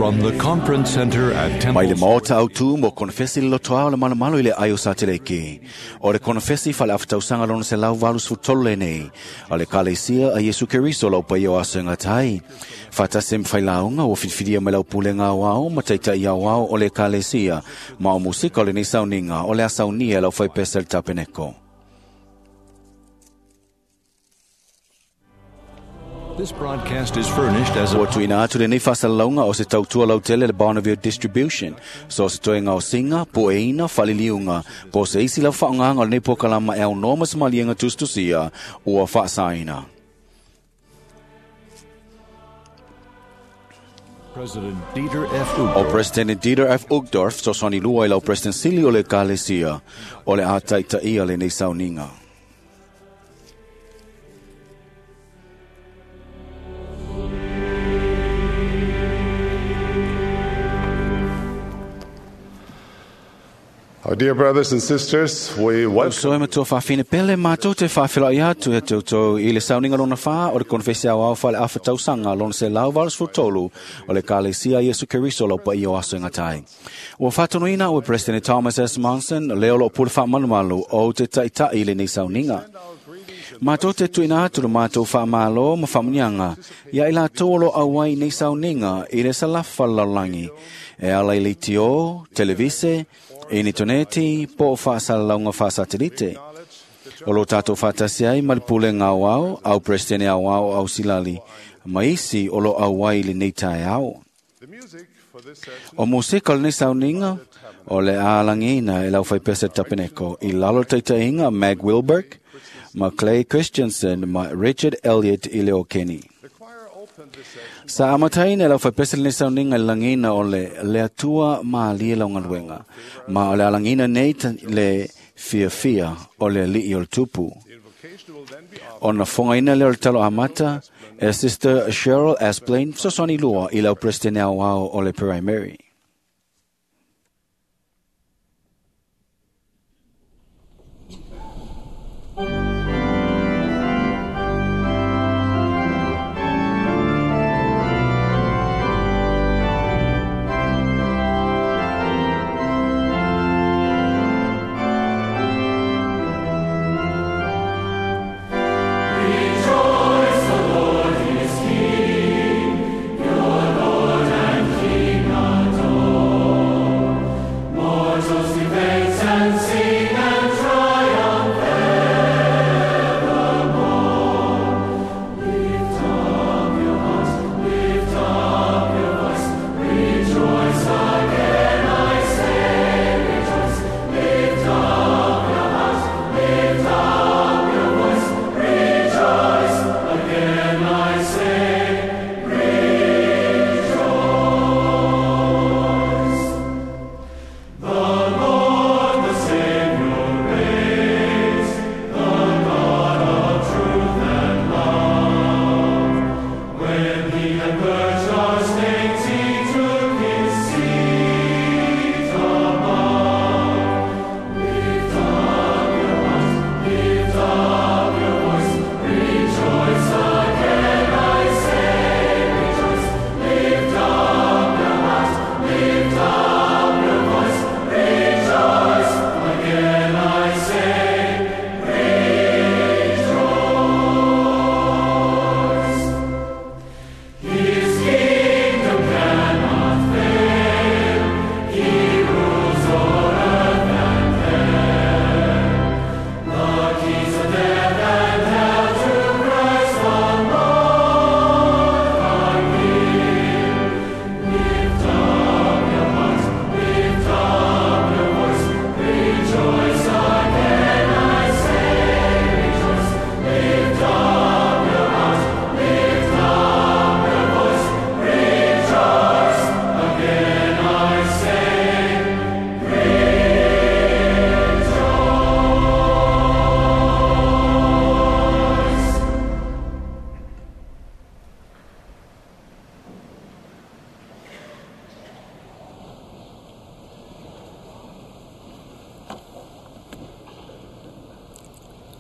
From the Conference Center at Temple Mai le maota au tu mo konfesi le lotoa o le malomalo i le ai o Sateleke. O le konfesi fale afatausanga lona se lau valu sefulutolu lenei. O le Ekalesia a Iesu Keriso lau paia o aso e gata ai. Faatasi ma failauga ua filifilia mai lau pulega aoao ma taitai aoao o le Ekalesia ma o musika o lenei sauniga o le a saunia e lau faipese le tapeneko. This broadcast is furnished as a Ua tuuina atu lenei faasalalauga o se tautua lautele le Bonneville Distribution. So o se toega o siga, pueina, faliliuga, po o se isi lava faaaogaga o lenei polokalama e aunoa ma se maliega tusitusia ua faasaina. President Dieter F. O Uchtdorf. President Dieter F. Uchtdorf, fesoasoani lua i lau President sili o le Ekalesia, o le a taitaia lenei sauniga. Our dear brothers and sisters, we welcome Uso e matua faafine pele mātou te faafeloai atu e toutou i le sauniga lona whā o le konfesi au au whale awha tausanga lona se lau 83 o le Ekalesia Iesu Keriso lau paia o aso e ngatai. Ua whātonuina ua President Thomas S. Monson leo lo pule whaamalumalu o te taitai i lenei sauniga. Mātou te tuina atu le mātou whaamalo ma whaamunianga ia i lātou o lo auai nei sauniga i le salafa lalaulangi. E ala i leitio, televise, initoneti, po o whaasalalauga whaasatelite. O lo tātou whaatasi ai ma le pulega aoao, au presidente aoao au silali, ma isi o lo auai i lenei taeao. the music for this session. O musika o lenei sauniga, o le alagina e lau faipese tapeneko i lalo taitaiga Mag Wilberg, ma Clay Christensen, ma Richard Elliott i le o Kenny. The choir opened this session Sa amataina e lau faipese lenei sauniga i le lagiina o le le Atua malie lau galuega, ma o le alagina nei le fiafia o le alii o le tupu. The invocation will then be offered Ona fogaina lea o le talo amata e Sister Cheryl Asplain, fesoasoani lua i lau President aoao o le Primary.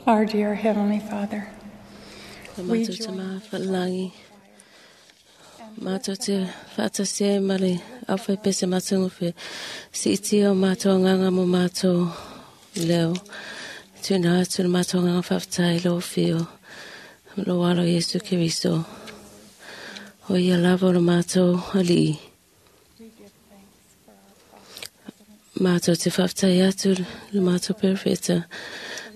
Our dear Heavenly Father, La we mātou join te maha whalangi. Mātou te whaatasi ai ma le au pese matangofe. Siitia o mātou anganga mo mātou leo. Tuna atu le mātou anganga whaafatai lo whio. Lo alo Yesu Keriso. O ia lava o le mātou alii. Mātou te whaafatai atu le mātou perfeta.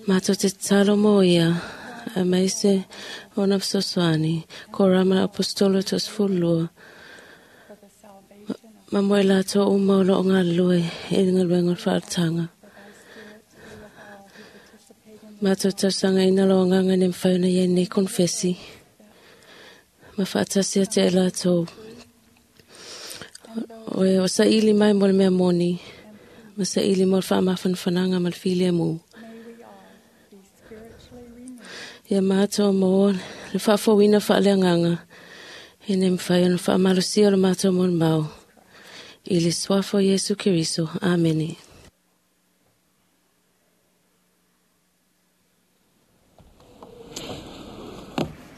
Mātou te talo mo ia. A maise o na fesoasoani. Ko rama apostolo tos fulua. Ma moe lātou uma o loo ngā lue e ngā luenga o whaatanga. Mātou tausanga ina lo nganga ne mwhauna ia nei konfesi. Ma whaatasi ate e lātou. O e o sa ili mai mo le mea moni. Ma sa ili mo le whaamafanfananga ma le whilia mū. Ia mātou mō le whaafawina whaaleanganga. E ne mwhai ona whaamalusia o le mātou mo le mau. I le suafa o Yesu Keriso. Amene.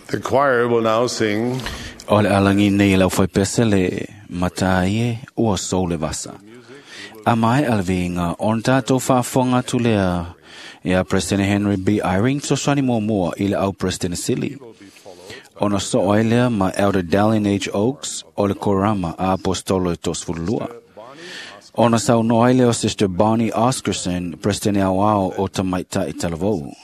The choir will now sing O le alangi nei lau fai pese le mataie ua sou le vasa. A mai alvinga on tātou whaafonga tu lea ia President Henry B. Eyring sosani mua i le au President Sili. Ona so ai lea ma Elder Dallin H. Oaks o le Korama a Apostolo e Tosfulua. Ona sau no ai lea o Sister Bonnie Oscarson, President Auao o Tamaita i Talavou.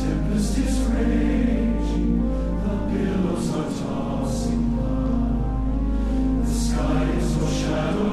Tempest is raging, the billows are tossing high. The sky is o'ershadowed.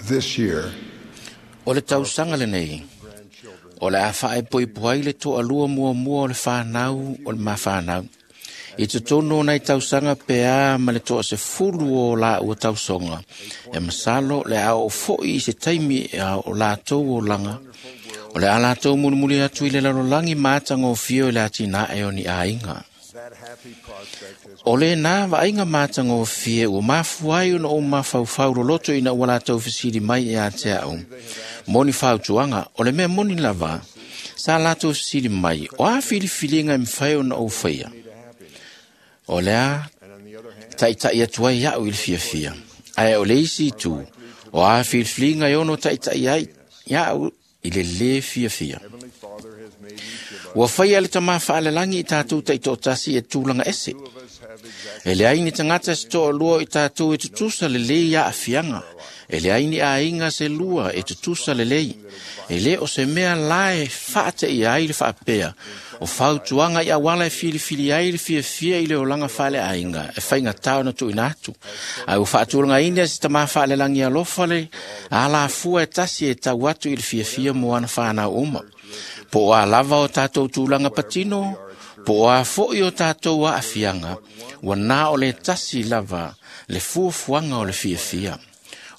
This year, O le tausaga lenei, o le a faaepoepo ai le toalua muamua o le whanau o le mawhanau. I te tonu o nei tausaga pea ma le toa se fulu o la ua tausoga. E masalo le a o foi i se taimi e a o lātou o langa. O le a lātou mulimuli atu i le lalolagi matagofie o le atinae o ni aiga. O le nā vaaiga matagofie ua mafua ai ona ou mafaufau loloto ina ua latou fesili mai ia te au. Moni fautuaga, o le mea moni lava, sa latou fesili mai, o a filifiliga e mafai ona ou faia. O le a taitai atu ai au i le fiafia. Ae o le isi itu, o a filifiliga e ono taitai ai ia'u i le lē fiafia. Ua faia le tamā faalelagi i tatou taitoatasi e tulaga ese. E leai ni tagata se toalua o i tatou e tutusa lelei aafiaga. E leai ni aiga se lua e tutusa lelei. E lē o se mea la e faateia ai le faapea. O fautuaga i auala e filifili ai le fiafia i le olaga faaleaiga e faigatā ona tuuina atu. Ae ua faatulagaina se tamā faalelagi alofa le alafua e tasi e tau atu i le fiafia mo ana whanau uma. Po o a lava o tātou tulaga patino, po o a foi o tātou aafiaga, ua na o le tasi lava le fuafuaga o le fiafia.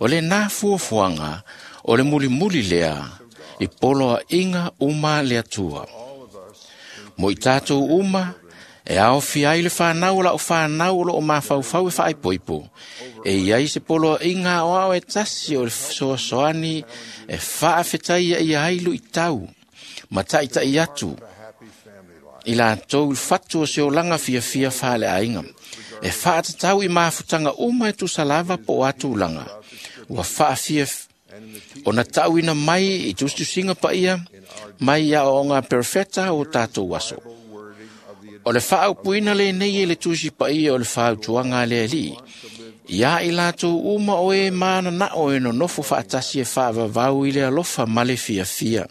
O le nā fuafuaga o le mulimuli lea i poloaiga uma le Atua. Mo i tātou uma, e aofia ai le whanau o lau whanau o loo mafaufau e whaaipoipo. E iai se poloaiga aoao e tasi o le fesoasoani e faafetaia ia ai luitau. Ma taitai atu i latou i le fatu o se olaga fiafia faaleaiga. E faatatau i mafutaga uma e tusa lava po o a tulaga. Ua faafia ona tauina mai i tusitusiga paia mai i aoaoga perfeta o tatou aso. O le faaupuina lenei e le tusi paia o le fautuaga a le Alii. Ia i latou uma o e mananao e nonofo faatasi e faavavau i le alofa ma le fiafia.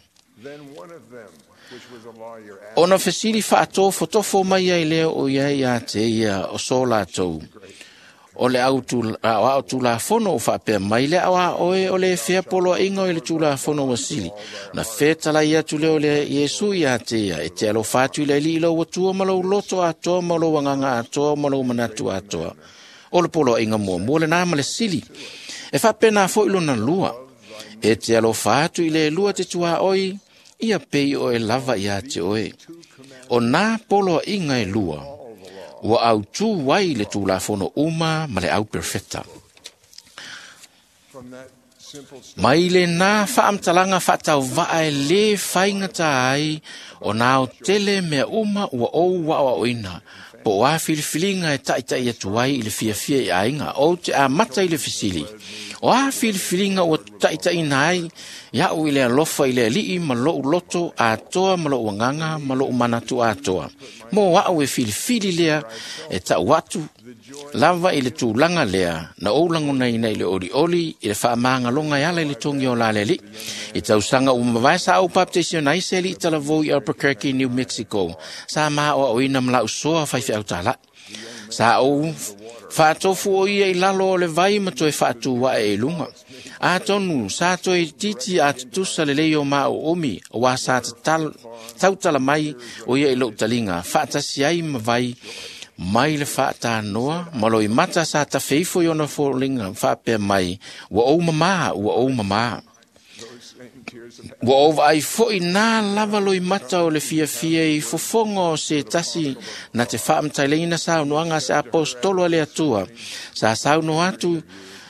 Ona fesili faatofotofo mai ai lea o ia ia te ia o so latou. O le au tulafono o faapea mai le au a oe o le fea poloaiga o le tulafono ua sili. Na fetalai atu lea o le Iesu ia te ia e te alofa atu i le Alii lou Atua ma lou loto atoa ma lou agaga atoa ma lou manatu atoa. O le poloaiga muamua lenā ma le sili. E faapena foi lona lua. E te alofa atu i le lua te tuaoi, ia pei oe lava ia te oe. O nā poloaiga e lua, ua autū ai le tulafono uma ma le au perfeta. Mai le nā faamatalaga faatauvaa e lē faigata ai o nā aotele mea uma ua ou aoaoina, po o a filifiliga e taitai atu ai i le fiafia i aiga, ou te amata i le fesili. O a filifiliga ua taitaiina ai ia'u i le alofa i le Alii ma lou loto atoa ma lou agaga ma lou manatu atoa. Mo a'u e filifili lea e ta'u atu lava i le tulaga lea na ou lagonaina i le olioli i le faamagaloga e ala i le togi o la le Alii. I tausaga ua mavae sa ou baptaisiona ai se alii talavou i Albuquerque, New Mexico. Sa maoaoina ma la'u soa faifeau tala'i. Sa ou faatofu o ia i lalo o le vai ma toe faatu ae i luga. Atonu sa toe titi a tutusa lelei o maʻu umi, auā sa tautala mai o ia i lou taliga, faatasi ai ma vai mai le faatanoa ma loimata sa tafeifo i ona foliga faapea mai, ua ou mamā, ua ou mamā. Ua ou vaai foi nā lava loimata o le fiafia i fofoga o se tasi na te faamataileina saunoaga a se apostolo a le Atua. Sa saunoa atu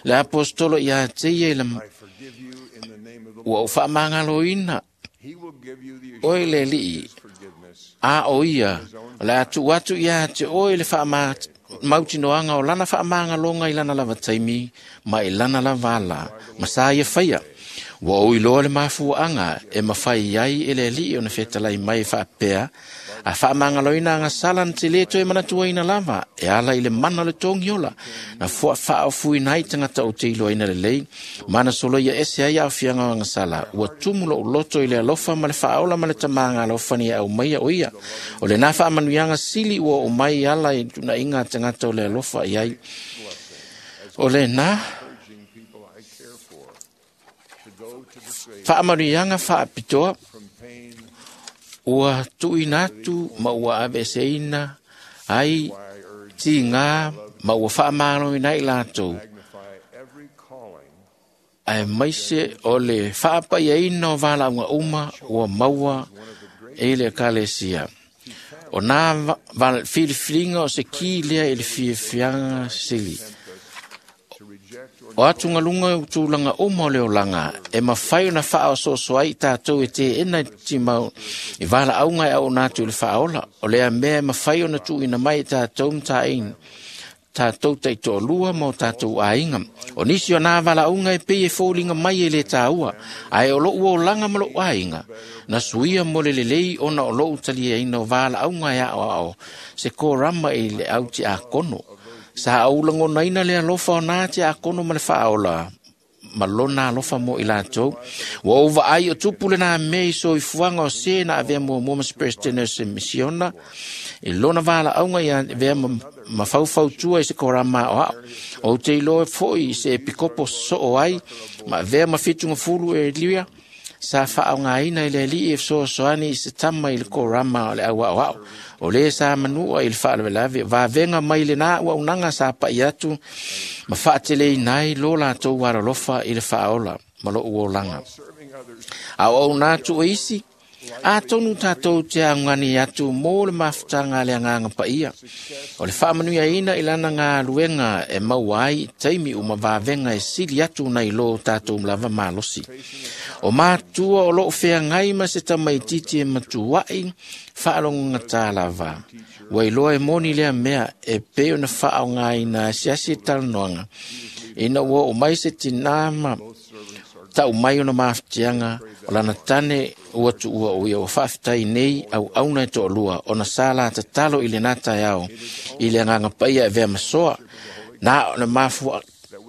le apostolo ia te ia i le ua ou faamagaloina oe le Alii, a o ia, o le a tuu atu ia te oe le faamautinoaga o lana faamagaloga i lana lava taimi ma i lana lava ala, ma sa ia faia. Ua ou iloa le mafuaaga e mafai ai e le Alii ona fetalai mai e faapea, a faamagaloina agasala na te lē toe manatuaina lava, e ala i le mana o le togiola, na faaofuina ai tagata o te iloaina lelei, ma na soloia ese ai aafiaga o agasala. Ua tumu lou loto i le alofa ma le faaola ma le tamaga alofani e aumaia o ia. O lenā faamanuiaga sili ua oo mai ala i tunaiga a tagata o le alofa i ai. O lenā Faamanuiaga faapitoa ua tuuina atu ma ua aveeseina ai tigā ma ua faamaloina ai latou, aemaise o le faapaiaina o valaauga uma ua maua i le Ekalesia. O nā filifiliga o se ki lea i le fiafiaga sili. O atugaluga o tulaga uma o le olaga e mafai ona faaosooso ai i tatou e teena i timau i valaauga e auauna atu i le faaola. O lea mea e mafai ona tuuina mai i tatou mataina tatou taitoalua ma o tatou aiga. O nisi o nā valaauga e pei e foliga mai e le tāua, ae o lou olaga ma lou aiga, na suia mo le lelei ona o lou taliaina o valaauga e aoao se korama i le au tiakono. Sa ou lagonaina le alofa o nā tiakono ma le faaola ma lona alofa mo i latou. Ua ou vaai o tupu lena mea i soifuaga o se na avea muamua ma se Presidente o se misiona i lona valaauga ia avea ma faufautua i se korama aoao. Ou te iloa foi i se epikopo soo ai ma avea ma fitugafulu e lia sa faaaogaina i le alii e fesoasoani i se tama i le korama o le au aoao. O le sa manua i le faalavelave, vavega mai lena auaunaga sa pa'i atu ma faateleina ai lo latou alolofa i le faaola ma lou olaga. A o auauna atu o isi, atonu tatou te augani atu mo le mafutaga a le Agaga Paia. O le faamanuiaina i lana galuega e maua ai i taimi uma vavega e sili atu nai lo tatou lava malosi. O matua o loo feagai ma se tamaitiiti e matuai faalogogata lava. Ua iloa e moni lea mea e pei ona faaaogaina asiasi e talanoaga ina ua oo mai se tinā ma tau mai ona mafatiaga o lana tane ua tuua o ia ua faafetai nei auauna e toalua ona sa la tatalo i lena taeao i le Agaga Paia e avea ma soa. Na o le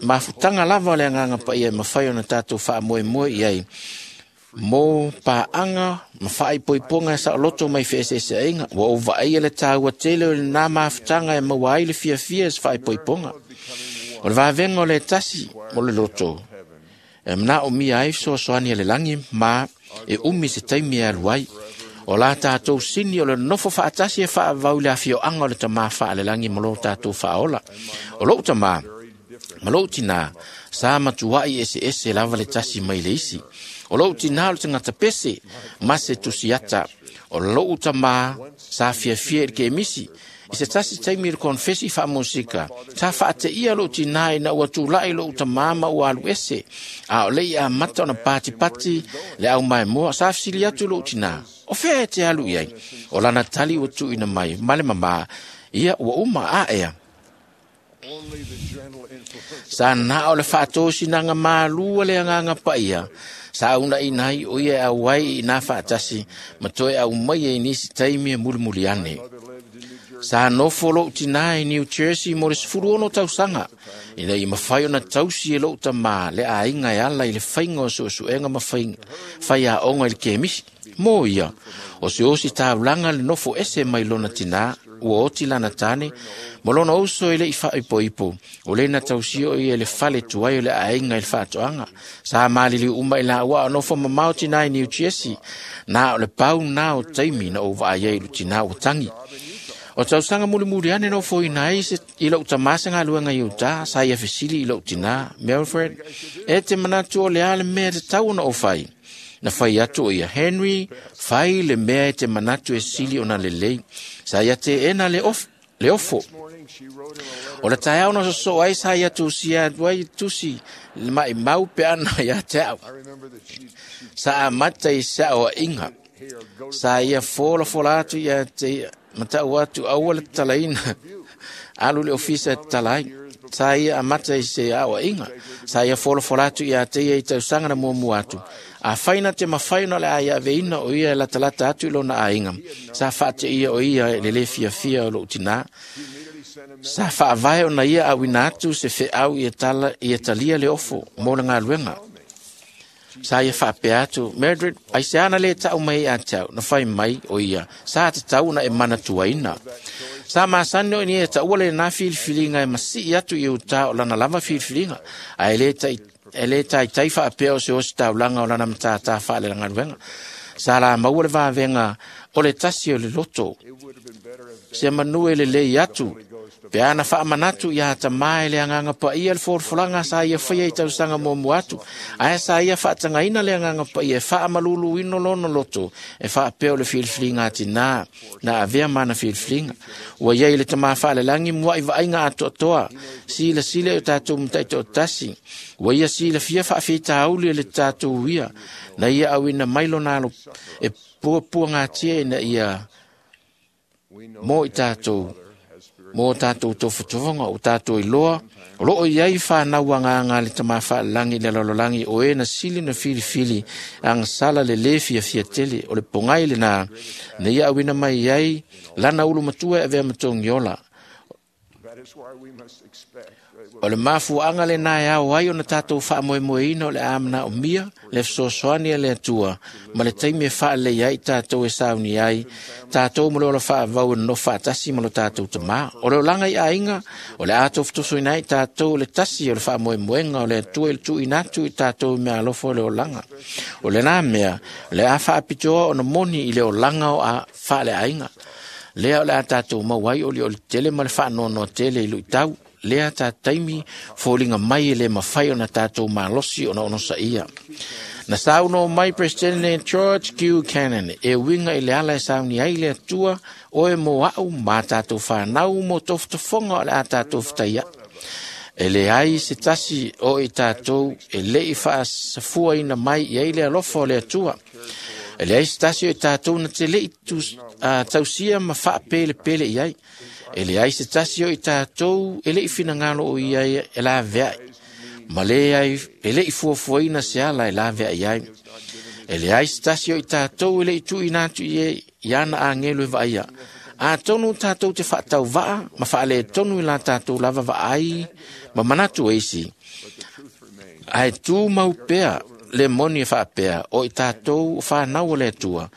mafutaga lava o le Agaga Paia e mafai ona tatou faamoemoe i ai mo paaga ma faaipoipoga e saoloto mai feeseeseaiga. Ua ou vaaia le tāua tele o lena mafutaga e maua ai le fiafia i se faaipoipoga. O le vavega o le tasi mo le loto e manaomia ai fesoasoani a le lagi ma e umi se taimi e alu ai. O la tatou sini o le nofo faatasi e faavau i le afioaga o le tamā faalelagi ma lo tatou faaola. O lou tamā ma lou tinā sa matuai eseese lava le tasi mai le isi. O lou tinā o le tagata pese ma se tusiata. O lou tamā sa fiafia i le kemisi. I se tasi taimi i le konfesi faamusika, sa faateia lou tinā ina ua tula'i lou tamā ma ua alu ese. A o le i amata ona patipati le au maimoa, sa fesili atu lou tinā, o fea e te alu i ai? O lana tali ua tuuina mai ma le mamā, ia ua uma aea. Sa na o le faatosinaga malua le Agaga Paia, sa aunaina ai o ia e auai i nā faatasi ma toe au mai ai nisi taimi e mulimuli ane. Sa nofo lou tinā i New Jersey mo le 16 tausaga, ina ia mafai ona tausi e lou tamā le aiga e ala i le faiga o suesuega ma faiaoga i le kemisi. Mo ia, o se osi taulaga le nofo ese mai lona tinā, ua oti lana tane, ma lona uso e le i faaipoipo, o le na tausia o ia le fale tuai o le aiga i le faatoaga. Sa maliliu uma i laua o nofo mamao tinā i New Jersey, na o le pau nā o taimi na ou vaai ai i le tinā ua tangi. O tausaga mulimuli ane nofoina ai i lou tamā se galuega i utā, sa ia fesili i lou tinā, Melfred, e te manatu o le a le mea e tatau ona ou fai. Na fai atu o ia, Henry, fai le mea e te manatu e sili ona lelei. Sa ia teena le ofo. O le taeao na sosoo ai sa ia tusia atu ai tusi le maimau pe ana ia te au. Sa amata i saoaiga. Sa ia folafola atu ia te matau atu aua le tatalaina alu i le ofisa e tatala ai. Sa ia amata i se aoaiga. Sa ia folafola atu ia te ia i tausaga na muamua atu. Afai na te mafai ona o le a ia aveina o ia e latalata atu i lona aiga. Sa faateia o ia e le lē fiafia o lou tinā. Sa faavae ona ia auina atu se feau ia talia le ofo mo le galuega. Sa ia faapea atu, Mildred, aiseana le tau mai ia te au, na fai mai o ia, sa tatau ona e manatuaina. Sa masani o ina ia taua lenā filifiliga e masii atu i utā o lana lava filifiliga, ae le E le taitai faapea o se ositaulaga o lana matātā faalegaluega. Sa lamau le vavega o le tasi o le loto. Se manu e lelei atu, pe ana faamanatu ia tamā e le agaga paia le folafolaga sa ia faia i tausaga muamua atu, ae sa ia faatagaina le agaga paia e faamaluluina lona loto e faapea o le filifiliga a tinā na avea ma ana filifiliga. Ua iai le tamā faalelagi muaʻi vaaiga atoatoa, silasila i o tatou mataitoatasi. Ua ia silafia faafitauli e le tatou ia, na ia auina mai lona alo e puapuagatia ina ia mo i tatou mo tatou tofotofoga o tatou iloa o loo iai fanau agaga a le tamā faalelagi i le lalolagi o e na sili na filifili agasala le lē fiafia tele. O le pogai lenā na ia auina mai ai lana ulu matua e avea ma togiola. O le mafuaaga lenā e ao ai ona tatou faamoemoeina o le a manaomia le fesoasoani a le Atua ma le taimi e faalelei ai tatou e sauni ai tatou ma le ola faavau e nonofo faatasi ma lo tatou tamā. O le olaga i aiga o le a tofutofuina ai tatou le tasi o le faamoemoega o le Atua i le tuuina atu i tatou i meaalofa o le olaga. O lenā mea o le a faapitoa ona moni i le olaga o a faaleaiga. Lea o le a tatou maua ai olioli tele ma le faanoanoa tele i luitau. Lea ta taimi foliga mai e le mafai ona tatou malosi ona onosaia. Na saunoa mai President George Q. Cannon e uiga i le ala e sauni ai le Atua oe mo au ma tatou fanau mo tofotofoga o le a tatou fetaia. E leai se tasi o i tatou e leʻi faasafuaina mai i ai le alofa o le Atua. E leai se tasi o i tatou na te leʻi tausia ma faapelepele i ai. E leai se tasi o i tatou e leʻi finagalo o ia e laveai, ma leai e leʻi fuafuaina se ala e laveai ai. E leai se tasi o i tatou e leʻi tuuina atu i ana agelu e vaaia. Atonu tatou te faatauvaa ma faaletonu i la tatou lava vaai ma manatu e isi. Ae tumau pea le moni e faapea o i tatou o fanau o le Atua,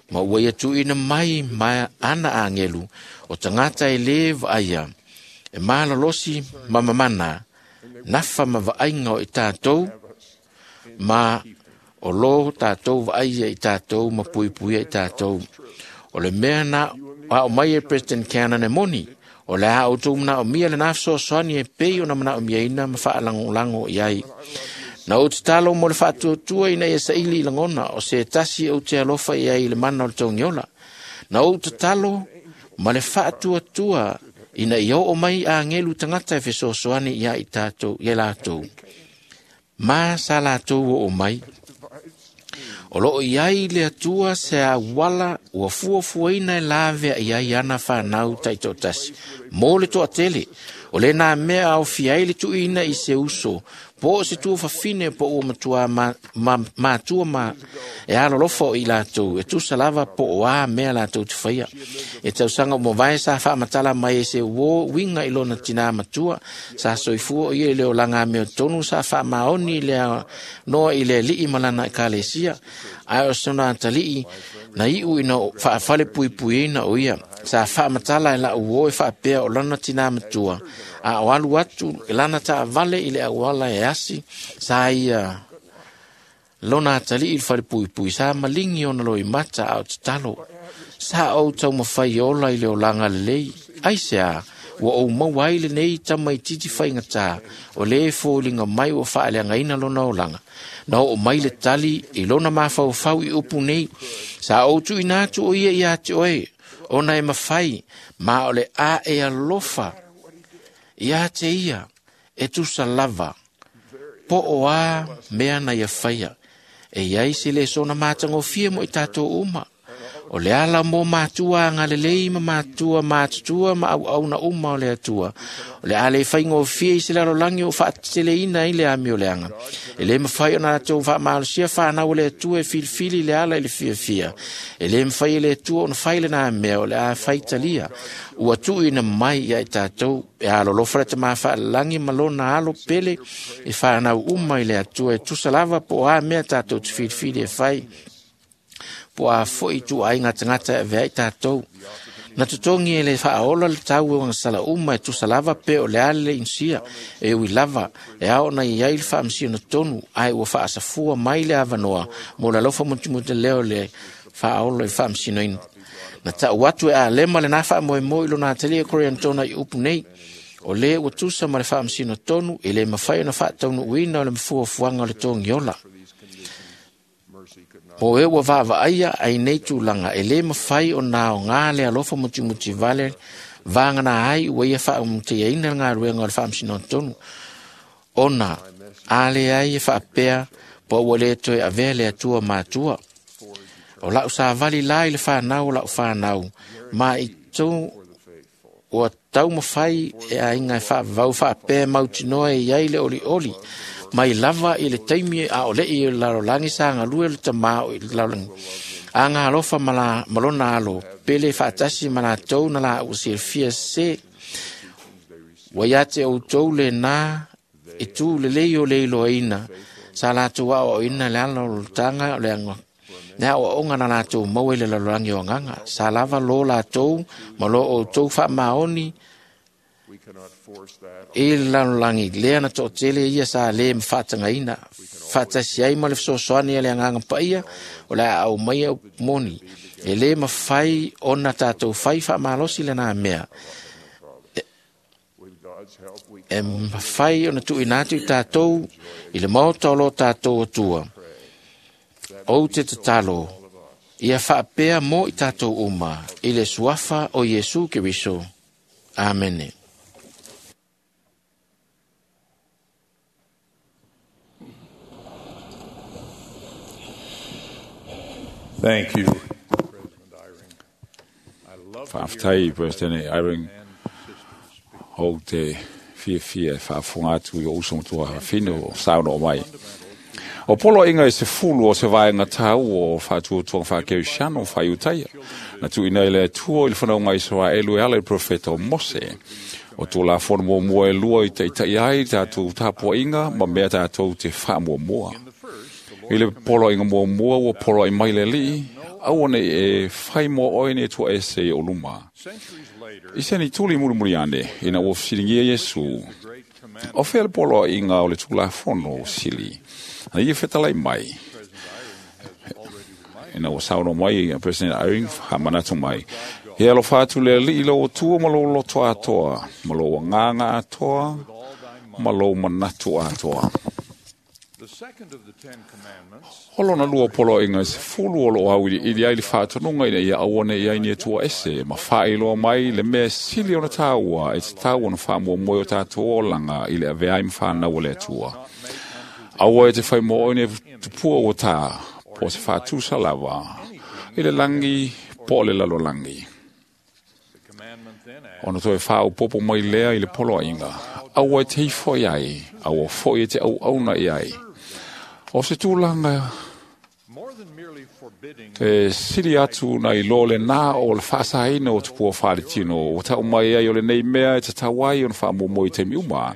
ma ua ia tuuina mai ma ana agelu o tagata e lē vaaia, e malolosi ma mamana, nafa ma vaaiga o i tatou, ma o lō tatou vaaia i tatou ma puipuia i tatou. O le mea na ao mai e President Cannon e moni, o le a outou manaomia lenā fesoasoani e pei ona manaomiaina ma faalagolago i ai. Na ou tatalo mo le faatuatua ina ia saili i lagona o se tasi ou te alofa i ai i le mana o le togiola. Na ou tatalo ma le faatuatua ina ia oo mai agelu tagata e fesoasoani ia i tatou ia latou. Ma sa latou oo mai. O loo iai le Atua se auala ua fuafuaina e lavea i ai ana fanau taitoatasi. Mo le toatele, o lenā mea aofia ai le tuuina i se uso, po o se tuafafine po ua matua matua ma e alolofa o i latou, e tusa lava po o a mea latou te faia. E tausaga o mavae sa faamatala mai e se uō uiga i lona tinā matua, sa soifua o ia i le olaga amiotonu sa faamaoni i le noa i le alii ma lana ekalesia, ae o sona atalii na iu ina faafalepuipuiina o ia. Sa faamatala e lau uō e faapea o lana tinā matua, a o alu atu lana taavale i le auala e asi, sa ia lona atalii i le falepuipui, sa maligi ona loimata a o tatalo. Sa ou taumafai ola i le olaga lelei, aisea, ua ou maua ai lenei tamaitiiti faigatā, o lē foliga mai ua faaleagaina lona olaga. Na oo mai le tali i lona mafaufau i upu nei, sa ou tuuina atu o ia iā te oe, ona e mafai, ma o le a e alofa ia te ia, e tusa lava, po o a mea na ia faia, e iai se le sona matagofie mo i tatou uma. O le ala mo matua agalelei ma matua matutua ma auauna uma o le Atua. O le a le faigofie i se lalolagi o faateleina ai le amioleaga. E le mafai ona latou faamalosia fanau o le Atua e filifili le ala i le fiafia. E le mafai e le Atua ona fai lenā mea o le a faitalia. Ua tuuina mai ia i tatou e alolofa le tamā faalelagi ma lona alo pele e fanau uma i le Atua e tusa lava po o a mea tatou te filifili e fai. Po a foi ituaiga tagata e avea ai tatou. Na totogi e le faaola le tau o agasala uma e tusa lava pe o le a le inisia e ui lava e ao ona i ai le faamasino tonu ae ua faasafua mai le avanoa mo le alofa mutimute lea o le faaola i le faamasinoina. Na tau atu e Alema lenā faamoemoe i lona atalia Koriantona i upu nei, o lē ua tusa ma le faamasino tonu e lē mafai ona faataunuuina o le mafuafuaga o le togiola. Mo e ua vaavaaia ai nei tulaga e lē mafai ona aogā le alofa mutimuti vale vagana ai ua ia faaumutiaina le galuega o le faamasinoga tonu ona a leai e faapea po ua lē toe avea le Atua matua. O lau savali la i le fanau o lau fanau ma i tou ua taumafai e aiga e faavavau faapea mautinoa e iai le olioli mai lava i le taimi a o le'i o le lalolagi sa galue le tamā o i le lalolagi. Aga alofa ma lona alo pele faatasi ma latou na laua silafia se ua ia te outou lenā i tū lelei o le iloaina sa latou aoaoina le ala o loltaga o le aga le aoaoga na latou maua i le lalolagi o agaga sa lava lo latou ma lo outou faamaoni i le lalolagi lea na toatele ia sa lē mafaatagaina faatasi ai ma le fesoasoani a le agaga paia o le a aumaia moni e lē mafai ona tatou fai faamalosi lenā mea e mafai ona tuuina atu i tatou i le maota o lo tatou Atua. Ou te tatalo ia faapea mo i tatou uma i le suafa o Iesu Keriso. Amene. Thank you, President Eyring. I love to hear Faafetai, President Eyring, and sisters speak. o te fiafia e faafofoga atu i o uso matua fafine o saunoa mai. O poloaiga e 10 o se vaega tāua o faatuatuaga faakerisiano faaiutaia. Na tuuina i le Atua i le fanauga Isaraelu e ala i le profeta o Mose. O Tulafono muamua e lua i taitai ai tatou tapuaiga ma mea tatou te faamuamua. I le poloaiga muamua ua poloai mai le Alii, aua nei e fai mo oe ni Atua ese i o luma. Centuries later, I se ni tuli mulimuli ane, ina ua fesiligia Iesu, the great commandment o fea le poloaiga o le Tulafono sili. Na ia fetalai mai, ina ua saunoa mai a President Eyring, faamanatu mai. He alofa atu le Alii i lou Atua ma lou loto atoa, ma lou agaga atoa, ma lou manatu atoa. The second of the Ten Commandments O lona lua poloaiga e 10 o loo auiliili ai le faatonuga ina ia aua nei ai ni Atua ese, ma faailoa mai le mea sili ona tāua e tatau ona faamuamua i o tatou olaga i le avea ai ma fanau a le Atua. Aua e te fai mo oe ni tupua ua tā, po o se faatusa lava, i le lagi po o le lalolagi. The commandment then adds, Ona toe faaopopo mai lea i le poloaiga, aua e te ifo i ai, aua foi e te auauna i ai. O se tulaga more than merely forbidding e sili atu na i lo le nā o le faasaina o tupua faaletino, ua tau mai ai o lenei mea e tatau ai ona faamuamua i taimi uma.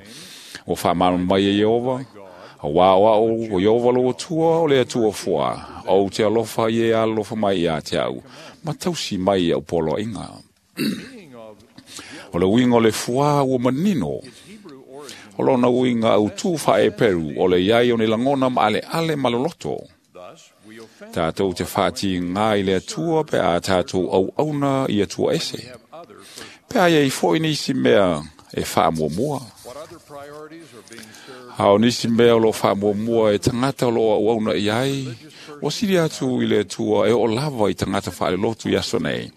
Ua faamalamalama mai e Ieova, auā o au o Ieova lou Atua o le Atua fua, ou te alofa i e alofa mai ia te au, ma tausi mai i au poloaiga. meaning of O le uiga o le fuā ua manino, its Hebrew origin, o lona uiga autū faaeperu o le iai o ni lagona ma aleale ma loloto. thus we offend Tātou te whāti ngā i le Atua pe a tātou auauna i Atua ese. have other first. Pe a iai foi nisi mea e whaamuamua. What other priorities are being served? A o nisi mea o lo whaamuamua e tangata o lo auauna i ai, o sili atu i le Atua e o lava i tangata whaalelotu i aso nei.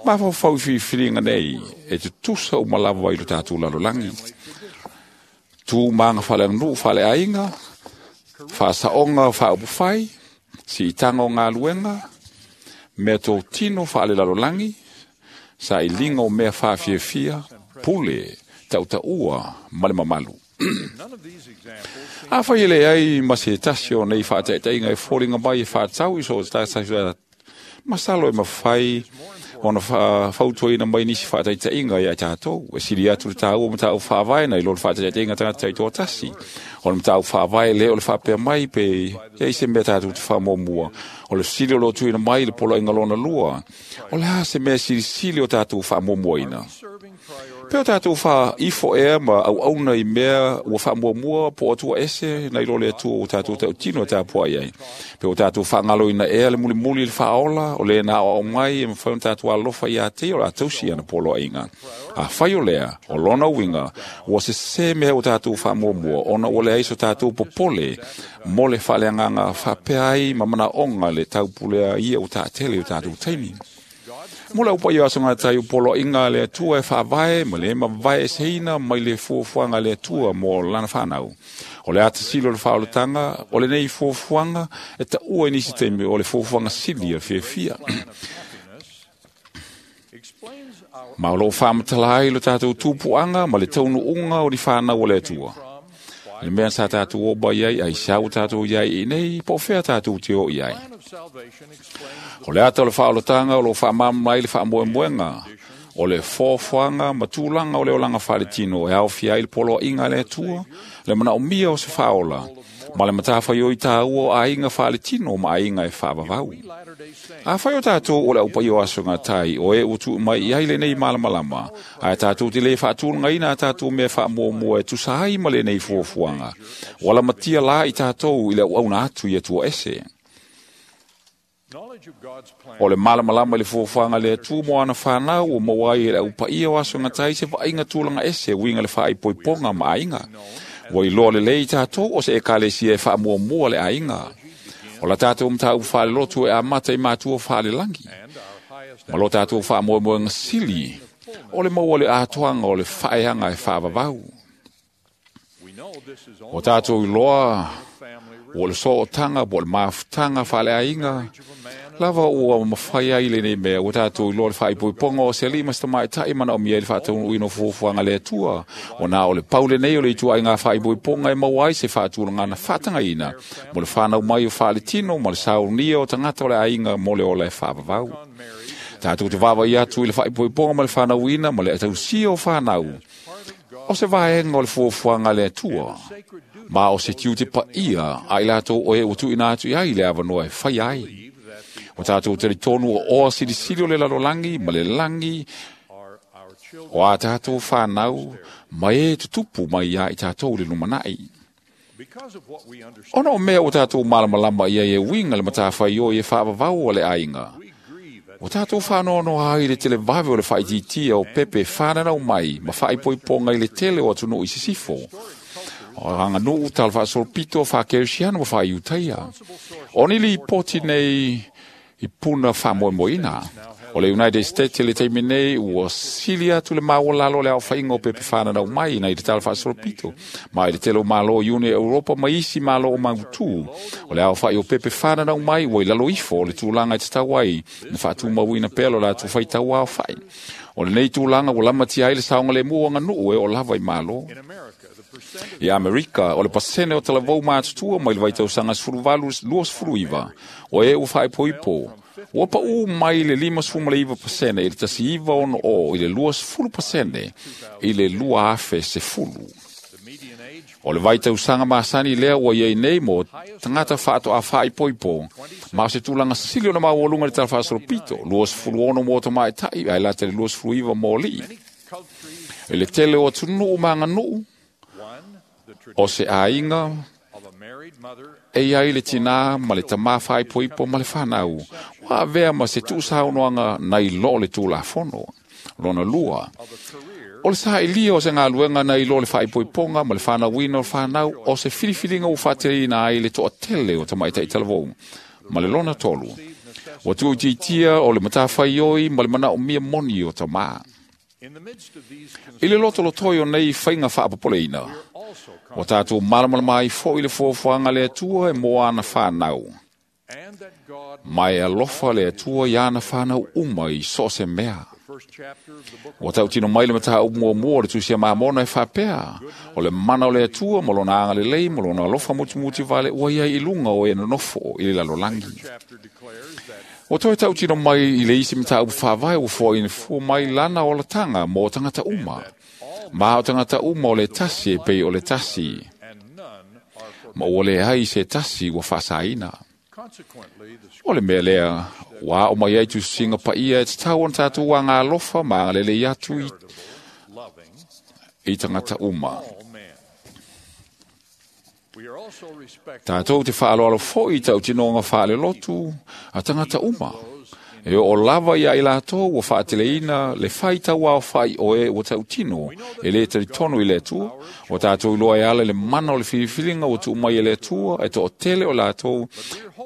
Mafaufau i whiriwhiringa nei, e te tusa o malava i lo tātou lalolagi. Tū maanga whaleanuu whaleainga, whaasaonga whaapufai, si itanga o ngā luenga, mea tō tino whaale lalolagi, sa i linga o mea whaafiafia, pule, tautaua, ma le mamalu. None of these examples seem A whai ele ai ma se tasi o nei whaataitaiga e fōringa mai e whaatau i so tātai masalo e mawhai Ona fautuaina mai nisi faataitaiga ia i tatou. E sili atu le taua o mataupu faavae nai lo le faataitaiga tagata taitoatasi. O le mataupu faavae lea o le faapea mai pe i ai se mea tatou te faamuamua. O le fesili o lo o tuuina mai i le poloaiga lona lua, o le a se mea silisili o tatou faamuamuaina? Pe o tatou faaifo ea ma auauna i mea ua faamuamua po o atua ese nai lo le Atua ua tatou tautino e tapuai ai. Pe o tatou faagaloina ea le mulimuli i le faaola, o le na aoao mai e mafai ona tatou alolofa ia te ia o le a tausi ana poloaiga. Afai o lea, o lona uiga, ua sesē mea ua tatou faamuamua, ona ua leai so tatou popole mo le faaleagaga faapea ai ma manaoga le taupulea ia ua taatele i o tatou taimi. Mo le au paia o aso gatai o poloaiga a le Atua e faavae ma le mavaeeseina mai le fuafuaga a le Atua mo lana fanau. O le atasilo o le faaolataga o lenei fuafuaga e taua i nisi taimi o le fuafuaga sili o le fiafia. Ma o loo faamatala ai lo tatou tupuaga ma le taunuuga o ni fanau o le Atua. Le mea sa tatou oo mai ai, aisea ua tatou i ai i nei, po o fea tatou te oo i ai. O le ata o le faaolataga o loo faamalamalama ai le faamoemoega, o le foafoaga ma tulaga o le olaga faaletino e aofia ai le poloaiga a le Atua, le manaomia o se faaola, ma le matafaioi taua o aiga faaletino ma aiga e faavavau. Afai o tatou o le aupaia o aso gatai, o e ua tuu mai i ai lenei malamalama, ae tatou te le faatulagaina a tatou mea faamuamua e tusa ai ma lenei fuafuaga, ua lamatia la i tatou i le auauna atu i Atua ese. O le malamalama i le fuafuaga a le Atua mo ana fanau ua maua ai e le aupaia o aso gatai se vaaiga tulaga ese uiga le faaipoipoga ma aiga. Ua iloa lelei i tatou o se ekalesia e faamuamua le aiga. O la tatou mataupu faalelotu e amata i matua faalelagi. Ma lo tatou faamoemoega sili, o le maua le atoaga o le faaeaga e faavavau. O tatou iloa ua le sootaga po o le mafutaga faaleaiga lava ua mafai ai lenei mea. Ua tatou iloa le faaipoipoga o se alii ma se tamaitai manaomia ai le faataunuuina o fuafuaga a le Atua. Ona o le pau lenei o le ituaiga faaipoipoga e maua ai se faatulagaga faatagaina mo le fanau mai o faaletino ma le saunia o tagata o le aiga mo le ola e faavavau. Tatou te vaavaai atu i le faaipoipoga ma le fanauina ma le tausia o fanau, o se vaega o le fuafuaga a le Atua, ma o se tiute paia a i latou o e ua tuuina atu i ai le avanoa e fai ai. O tatou talitonu o oa silisili o le lalolagi ma le lagi o a tatou fanau ma e tutupu mai ia i tatou le lumanai. Ona o mea ua tatou malamalama i ai e uiga le matafaioi e faavavau a le aiga, ua tatou faanoanoa ai i le televave o le faaitiitia o pepe fananau mai ma faaipoipoga i le tele o atunuu i sisifo, o aganuu talafaasolopito faakerisiano ma faaiutaia. O ni lipoti nei i puna faamoemoeina. O le United States i le taimi nei ua sili atu le maualalo o le aofaiga o pepe fananau mai nai le talafaasolopito, ma i le tele o malo i Iuni Europa ma isi malo o mautū. O le aofai o pepe fananau mai ua i lalo ifo o le tulaga e tatau ai na faatumauina pea lo latou faitau aofai. O lenei tulaga ua lamatia ai le saogalemu o aganuu e oo lava i malo. I Amerika, o le pasene o talavou matutua mai le vaitausaga 18-29, o e ua faaipoipo, ua paʻu mai le 59% i le 1960 i le 20% i le 2010. O le vaitausaga masani lea ua iai nei mo tagata faatoa faaipoipo, ma o se tulaga sili ona maualuga i le talafaasolopito, 26 mo tamaitai ae lata i le 29 mo alii. I le tele o atunuu ma aganuu, o se aiga e iai le tinā ma le tamā faaipoipo ma le fanau, ua avea ma se tuusaunoaga nai lo le Tulafono. Lona lua, o le saʻilia o se galuega nai lo le faaipoipoga ma le fanauina o le fanau o se filifiliga ua faateleina ai le toatele o tamaitai talavou. Ma le lona tolu, ua tuuitiitia o le matafaioi ma le manaomia moni o tamā. I le lotolotoi o nei faiga faapopoleina, ua tatou malamalama ai foi le fuafuaga a le Atua e mo ana fanau. Mai alofa le Atua i ana whanau uma i so se mea. Ua tautino mai le mataupu muamua o le Tusi a Mamona e faapea, o le mana o le Atua ma lona agalelei ma lona alofa mutimuti vale ua ia i luga o e nonofo i le lalolagi. Ua toe tautino mai i le isi mataupu faavae ua foaina fua mai lana olataga mo tagata uma. Ma o tagata uma o le tasi e pei o le tasi. Ma ua leai se tasi ua faasaina. O le mea lea, ua ao mai ai tusiga paia e tatau ona tatou agalofa ma agalelei atu i tagata uma. Tatou te faaaloalo foi i tautinoga faalelotu a tagata uma. E oo lava ia i latou ua faateleina le faitauaofai o e ua tautino e lē talitonu i le Atua. Ua tatou iloa e ala i le mana o le filifiliga ua tuu mai e le Atua e toatele o latou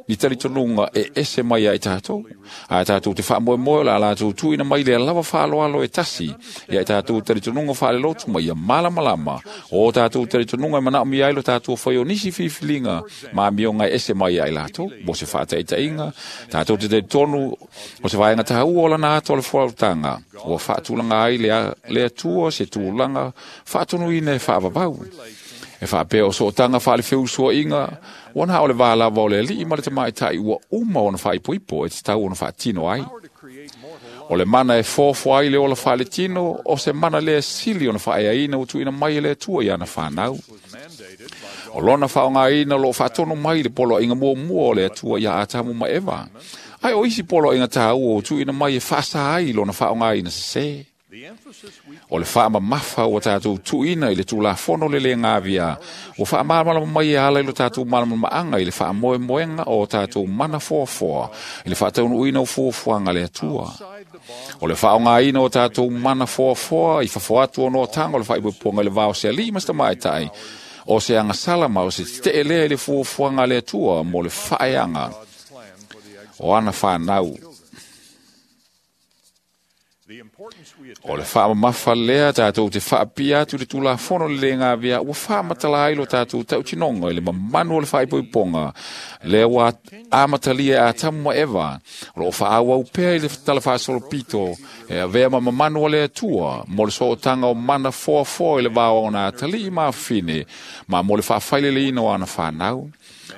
ni talitonuga e ese mai ai tatou. Ae tatou te faamoemoe o le a latou tuuina mai lea lava faaaloalo e tasi ia i tatou talitonuga faalelotu ma ia malamalama o tatou talitonuga e manaomia ai lo tatou fai o nisi filifiliga ma amioga e ese mai ai latou. Mo se faataitaiga, tatou te talitonu o se vaega taua o lana ata o le folautaga ua faatulaga ai le Atua se tulaga faatonuina e faavavau. E faapea o sootaga faalefeusuaʻiga ua na o le va lava o le alii ma le tamaitai ua uma ona faaipoipo e tatau ona faatino ai. O le mana e foafoa ai le ola faaletino o se mana lea sili ona faaeaina ua tuuina mai e le Atua i ana fanau. O lona faaaogaina o loo faatonu mai le poloaiga muamua o le Atua ia Atamu ma Eva. Ae o isi poloaiga taua ua tuuina mai e faasa ai lona faaaogaina sesē. O le faamamafa ua tatou tuuina i le Tulafono le lē gavia ua faamalamalama mai e ala i lo tatou malamalamaaga i le faamoemoega o tatou mana foafoa i le faataunuuina o fuafuaga a le Atua. O le faaaogaina o tatou mana foafoa i fafo atu o noataga o le faaipoipoga i le va o se alii ma se tamaitai o se agasala ma o se tetee lea i le fuafuaga a le Atua mo le faaeaga o ana fanau. O le faamamafa lea tatou te faapia atu i le Tulafono le lē gavea ua faamatala ai lo tatou tautinoga i le mamanu o le faaipoipoga lea ua amatalia e Atamu ma Eva, o loo faaauau pea i le talafaasolopito e avea ma mamanu a le Atua mo le sootaga o mana foafoa i le va o ona atalii ma afafine ma mo le faafaileleina o ana fanau.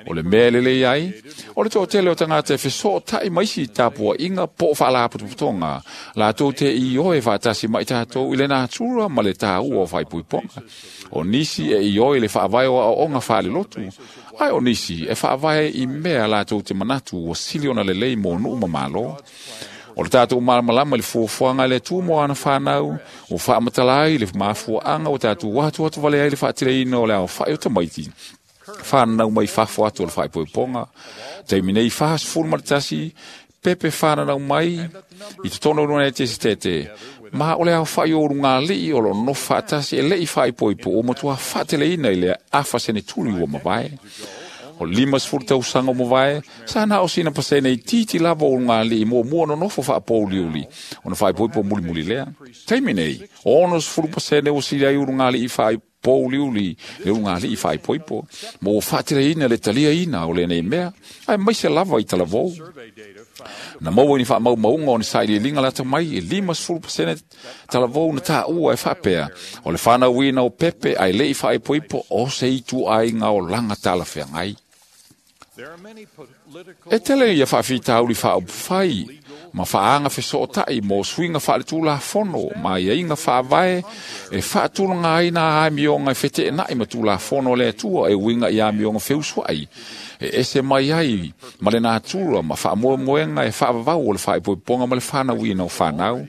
O le mea e lelei ai, o le toatele o tagata e fesootai ma isi tapuaiga po o faalapotopotoga latou te ioe faatasi ma i tatou i le natura ma le taua o faaipoipoga. O nisi e ioe i le faavae o aoaoga faalelotu, ae o nisi e faavae i mea latou te manatu ua sili ona lelei mo nuu ma malo. O le tatou malamalama i le fuafuaga a le Atua mo ana fanau, ua faamatala ai le mafuaaga ua tatou atuatu vale ai le faateleina o le aofai o tamaiti whanau mai fafo atu o le whaipoiponga. Taimi nei 41 pepe whanau mai i te tono runa e te tete. Ma o le au whai o runga lii o lo no whaatasi e lei whaipoipo o matua whaateleina i le afa sene tuli ua mavae. O 50 tausaga o mavae, sa na o sina pasene i titi lava o ngā lii mua mua nonofo faapouliuli, ona whaipoipo mulimuli lea. Taimi nei, 60% o sili ai uru ngā lii whaipouriuli, le uru ngā lii whaipoipo, mo o whaateleina le taliaina o lenei mea, ai maise lava i talavou. Na maua ni whaamau maunga o ni saililinga lata mai e 50% talavou na tāua e whaapea. O le whanauina o pepe ai lei whaipoipo o se itu ai ngā o langa talawhengai. E tele ia whaafitauli whaopufai, ma whaanga fesootai mo suinga whaaletulafono, ma ia inga whaavae e whaatulanga ai nā amionga e whete e nai ma tulafono le Atua e uinga i amionga feusuai. E ese mai ai ma le natura ma whaamoemoenga e whaavavau o le whaaipoiponga ma le whanauina o whanau.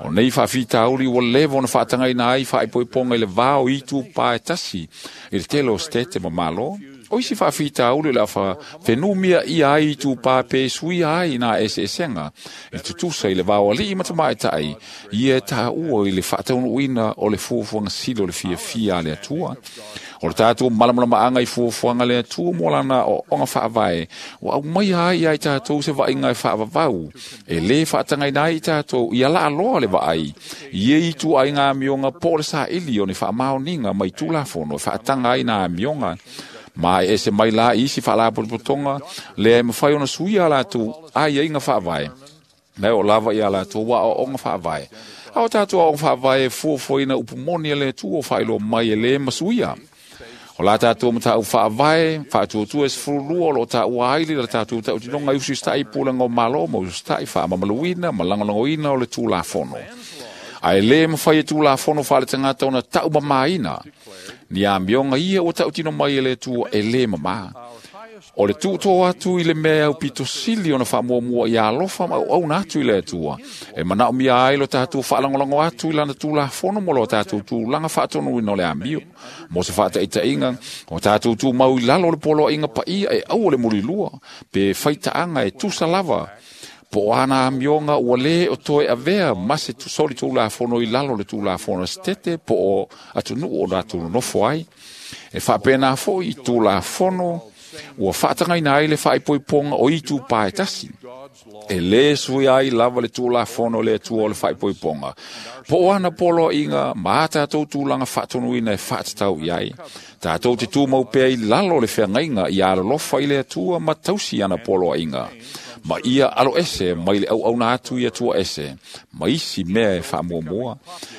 O nei whaafitauli ua lewa ona whaatangaina ai whaaipoiponga i le vao itu pae tasi i le tele o stete ma malo. O isi whaafitauli le awha whenumia i ai i tūpā pe suia ai nā eseesenga i tutusa i le vao alii matamaitai i e tāua i le whaataunuina o le fuafuaga sili o le fiafia a le Atua. O le tātou malamalamaanga i fuafuaga le Atua mo lana o onga whaavae ua au mai ai ai tātou se vainga e whaavavau e le whaatangaina ai tātou i ala aloa le vaai i e itu ai ngā amionga po le saili o ni whaamaoninga mai tulafono e whaatanga ai nā amionga. Ma e ese mai la i isi faalapotopotoga lea e mafai ona suia a latou aiaiga faavae na e oo lava ia latou aoaoga faavae. A o tatou aoga faavae e fuafuaina upu moni a le Atua o faailoa mai e lē masuia. O la tatou mataupu faavae faatuatua e 12 o loo taua ai le tatou tautinoga i usista'i i pulega o Malo ma usista'i faamamaluina ma lagolagoina o le Tulafono. Ae lē mafai e Tulafono faaletagata ona taumamāina ni amioga ia ua tautino mai e le Atua e lē mamā. O le tuutō atu i le mea e aupito sili ona faamuamua ia alofa ma auauna atu i le Atua, e manaomia ai lo tatou faalagolago atu i lana Tulafono mo lo tatou tulaga faatonuina o le amio. Mo se faataitaiga, o tatou tumau i lalo o le poloaiga paia e aua le mulilua, pe faitaaga e tusa lava po o ana amioga ua lē o toe avea ma se soli Tulafono i lalo o le Tulafono a Setete po o atunuu o latou nonofo ai. E faapena foi i Tulafono ua faatagaina ai le faaipoipoga o itu pae tasi. E lē suia ai lava le Tulafono o le Atua o le faaipoipoga po o ana poloaiga ma a tatou tulaga faatonuina e faatatau i ai. Tatou te tumau pea i lalo o le feagaiga ia alolofa i le Atua ma tausi ana poloaiga, ma ia alo ese mai le auauna atu i Atua ese ma isi mea e faamuamua.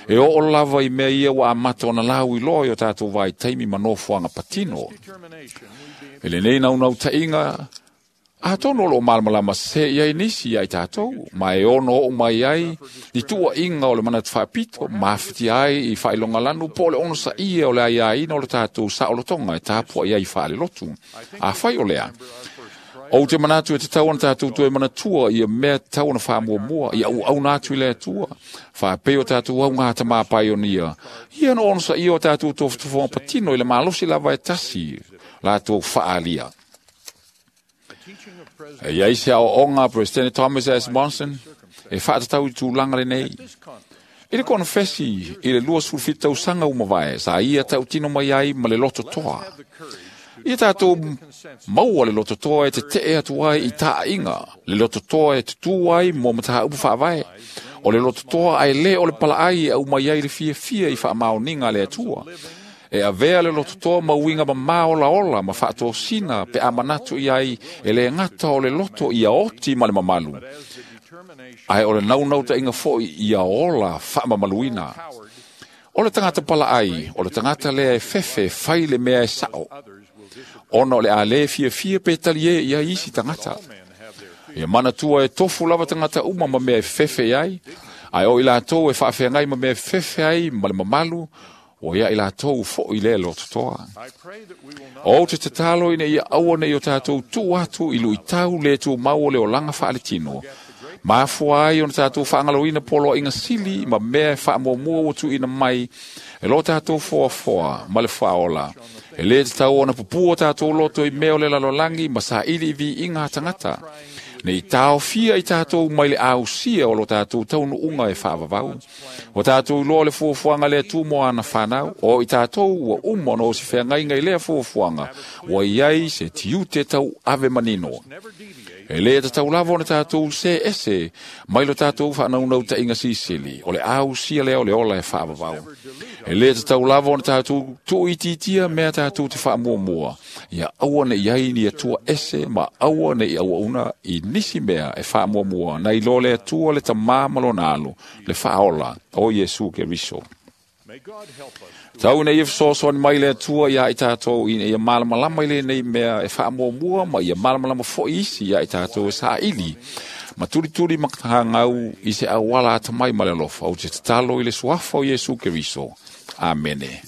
E oo lava i mea ia ua amata ona lauiloa i o tatou vaitaimi ma nofoaga patino. E lenei naunautaiga, atonu o loo malamalama sesē i ai nisi ia i tatou, ma e ono oo mai ai ni tuuaiga o le manatu faapito, ma afatia ai i faailogalanu po o le onosaia o le aiaina o le tatou saolotoga e tapuai ai faalelotu. Afai o lea, ou te manatu e tatau ona tatou toe manatua ia mea tatau ona faamuamua, ia auauna atu i le Atua, faapei o tatou augā tamapaionia, ia na onosaia o tatou tofotofoga patino i le malosi lava e tasi latou faaalia. E iai se aoaoga a Peresetene Thomas S. Monson e faatatau i tulaga lenei. I le konofesi i le 27 tausaga ua mavae, sa ia tautino mai ai ma le lototoa. Ia tatou maua le lototoa e tetee atu ai i taaiga, le lototoa e tutū ai mo mataupu faavae, o le lototoa ae lē o le palaai e aumai ai le fiafia i faamaoniga a le Atua. E avea le lototoa ma uiga mamā olaola ma faatosina pe a manatu i ai e lē gata o le loto ia oti ma le mamalu, ae o le naunautaiga foi ia ola faamamaluina. O le tagata palaai, o le tagata lea e fefe fai le mea e sao, ona o le a lē fiafia pe taliē i ai isi tagata. Ia manatua e tofu lava tagata uma ma mea e fefe i ai, ae o i latou e faafeagai ma mea e fefe ai ma le mamalu, ua ia i latou foi lea lototoa. Ou te tatalo ina ia aua nei o tatou tuu atu i luitau le tumau o le olaga faaletino, mafua ai ona tatou faagaloina poloaiga sili ma mea e faamuamua ua tuuina mai e lo tatou foafoa ma le faaola. E lē tatau ona pupua tatou loto i mea o le lalolagi ma saili i viiga a tagata, nei taofia i tatou mai le ausia o lo tatou taunuuga e faavavau. O tatou iloa le fuafuaga le Atua mo ana fanau, o i tatou ua uma ona o se feagaiga i lea fuafuaga, ua i ai se tiute tau ave manino. E lē tatau lava ona tatou se ese mai lo tatou faanaunautaiga sisili, o le ausia lea o le ola e faavavau. E lē tatau lava ona tatou tuuitiitia mea tatou te faamuamua, ia aua nei ai ni Atua ese ma aua nei auauna i nisi mea e faamuamua nai lo le Atua le Tamā ma lona Alo, le Faaola o Iesu Keriso. Tau ina ia fesoasoani mai le Atua ia i tatou ina ia malamalama i lenei mea e faamuamua ma ia malamalama foi isi ia i tatou e saili ma tulituli ma hangau i se auala atamai ma le alofa. Ou te tatalo i le suafa o Iesu Keriso. Amene.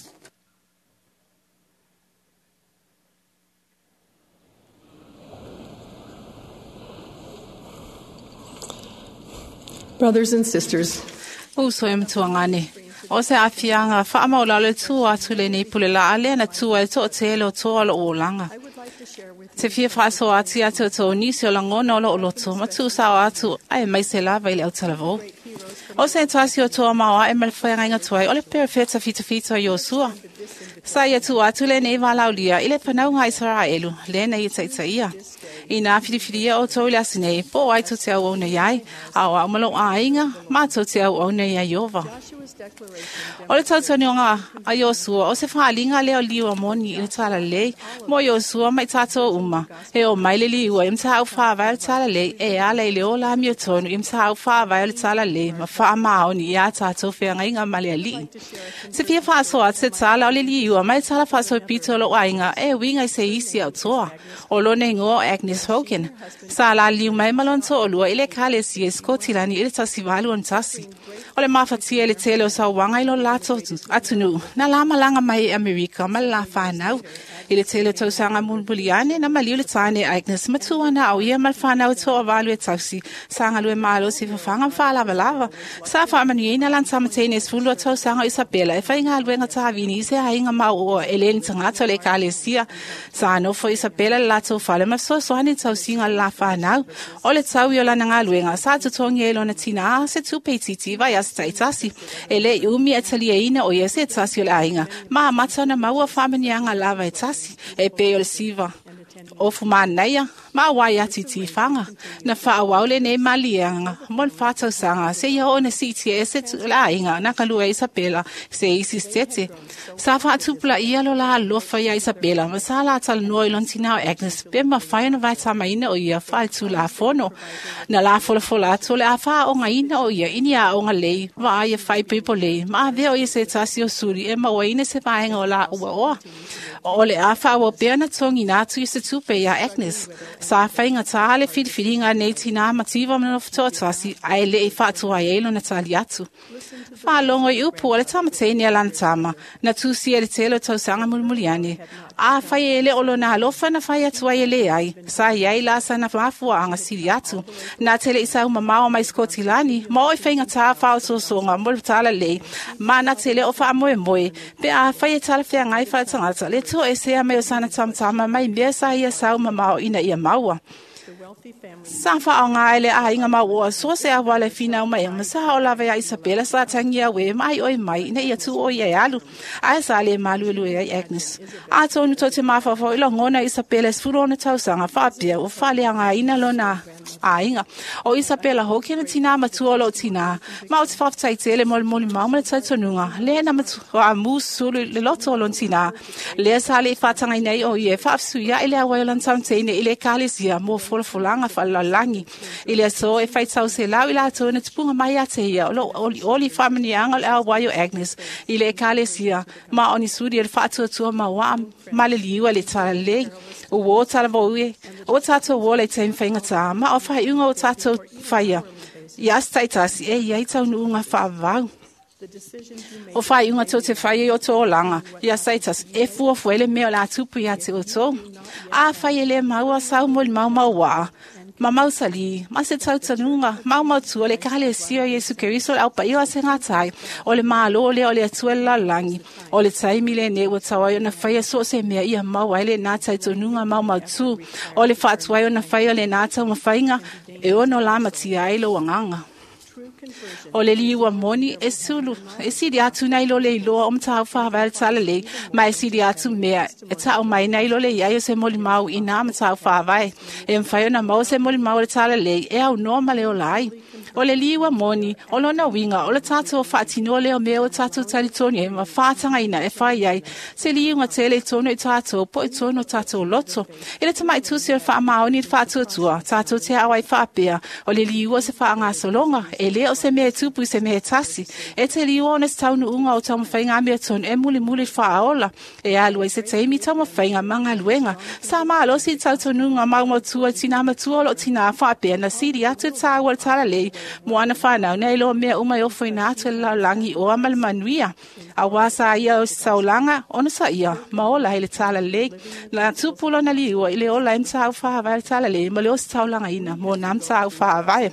Brothers and sisters, Uso e matuangane. O se afianga whaamaulalo e tua atu le nei pule la alea na tua e tō te ele o tō alo o langa. Te fia whaaso atu atu o tō nisi o langona o lo o loto, ma tū sao atu ai mai se lava i le autalavou. O se tasi o toa maua e malewhai ngainga tuai, o le pera whita whita whita i o sua. Sa ia tu atu le nei walaulia i le panau ngā Israelu, le nei i ia. I nā whiriwhiria o tō le asinei, po ai tō te au au nei ai, a o au malo a inga, mā tō te au au nei ai ova. O le tautanioga a Iosua, o se whalinga leo liwa moni i le tala lei, mo Iosua mai tātou uma, e o mai le liua im tāu whāwai o le tala lei, e ala i le o la mio tonu im tāu whāwai o le tala lei, ma wha maoni i a tātou whiangainga male ali. Se fia whaasoa te tala o le liua mai tala whaaso pito lo ainga, e winga i se isi au toa. O lone ingoa o Agnes Hogan. Sa la liu mai malon to'olua i le kalesia i Skotilani i le tasi valu o tasi. O le mafatia i le tele o sauaga i lo latou atunuu na la malaga mai e Amerika ma le la fanau. I le tele o tausaga mulimuli ane na maliu le tane Agnes matua na au ia ma le fanau e to'avalu e tausi sa galue malosi i fafaga ma faalavalava. Sa faamanuiaina lana tamateine e 12 tausaga o Isabela e faigaluega tavini i se aiga mao'oa e lē ni tagata o le ekalesia. Sa nofo Isabela le latou fale ma fesoasoani i tausiga o le la fanau. O le tau i o lana galuega sa totogi ai lona tinā se tupe itiiti vai ase ta'itasi. E lē i umi e taliaina o ia se tasi o le aiga ma amata ona maua faamanuiaga lava e tasi e pei o le siva o fumanaia ma wai ati tifaga na fa'auau lenei maliega mo le fatausaga seia oo na si'itia ese tu'ulāiga na kalua Isabela se isi setete. Sa fa'atupulaʻia lo la alofa iā Isabela ma sa latalanoa i lona tinā o Agnes pe mafai ona vaetamaina o ia fa'aletulafono. Na lafolafola atu o le a fa'aogaina o ia i ni a'oga lei vaai e fa'aipoipo lei ma avea o ia se tasi o suli e mauaina se vaega o la uaoa. O le a fa'auau pea na togina atu i se tupe iā Agnes. Sa faigatā le filifiliga nei tinā mativa ma nofo to'atasi ae le'i fa'atuai ai lona tali atu. Fa'alogo i upu o le tamateine a lana tama na tusia i le tele o tausaga mulimuli ane. A fai e le o lona alofa na fai atu ai e lē ai, sa iai la sana mafua'aga sili atu. Na tele i sau mamao mai Skotilani ma o i faigatā fa'aososoga mo le tala lei ma na tele o fa'amoemoe pe a fai e talafeagai fa'atagata le to'esea mai o sana tamatama mai mea sa ia sau mamao ina ia maua. Sa fa'aoga ai le aiga mauoa so se auala e finau mai ma sa o lava iā Isabela sa tagia ue ma ai'oi mai ina ia tu'u o ia e alu ae sa lē maluelue ai Agnes. Atonu tou te mafaufau i lagona Isabela e 16 tausaga fa'apea ua fa'aleagaina lona aiga. O Isabela hoki na tinā matua o lo'o tinā ma o te fa'afetai tele mo le molimau ma le talitonuga lea na matuamusulu i le loto o lona tinā. Lea sa le'i fa'atagaina ai o ia e fa'afesuia'i le auai o lana tamateine i le ekalesia mo folafolaga fa'alalagi. I le aso e faitau selau i latou na tupuga mai ia te ia o lo'o olioli fa'amanuiaga o le auai o Agnes i le ekalesia ma o ni suli o le fa'atuatua maua'a ma le liua i le talalelei. Ua o talavou e o tatou ola i taimi faigatā ma o fa'ai'uga o tatou faia ia ase ta'itasi e iai taunu'uga fa'avavau. O fa'ai'uga tou te faia i o tou olaga ia saitasi e fuafua ai le mea o le a tupu iā te outou. A fai e lē maua sau molimau maua'a ma mausalī ma se tautanuga maumautua le ekalesia o Iesu Keriso le aupaia o asegātai o le mālō lea o le Atua i le lalolagi. O le taimi lenei ua tau ai ona faia so o se mea ia maua ai lenā talitonuga maumautū. O le fa'atuai ona faia o lenā taumafaiga e ono lamatia ai lou agaga. O le liua moni e sulu e sili atu nei lo le iloa o matau whāwai le talalei, ma e sili atu mea e tau mai nei lo le iai o se molimau i nā matau whāwai. E mwhai ona mau se molimau le talalei e au noa ma le ola ai. O le liua moni, o lona winga, o le tātou whaatino leo mea o tātou talitoni e ma whātangaina e whai ai. Se liunga tele i tono i tātou, po i tono tātou loto. I le tamai tusi o le whaamaoni i le whaatuatua, tātou te awai whaapea, o le liua se whaangasolonga, e le o se mea e tupu i se mea e tasi. E te liua ona se taunu'uga o taumafaiga a mea tonu e mulimuli fa'aola. E alu ai se taimi taumafaiga ma galuega. Sa malosi i tautonuga maumautua i tinā matua o lo'o tinā fa'apea na sili atu e tāua le talalei mo ana fanau nei loa mea uma e ofoina atu e le lalolagi o ama le manuia. Auā sa ia o se taulaga ona sa'ia ma ola ai le talalei. Na tupu lona liua i le ola ai matau fa'avae le talalei ma le o se taulagaina mo nā matau fa'avae.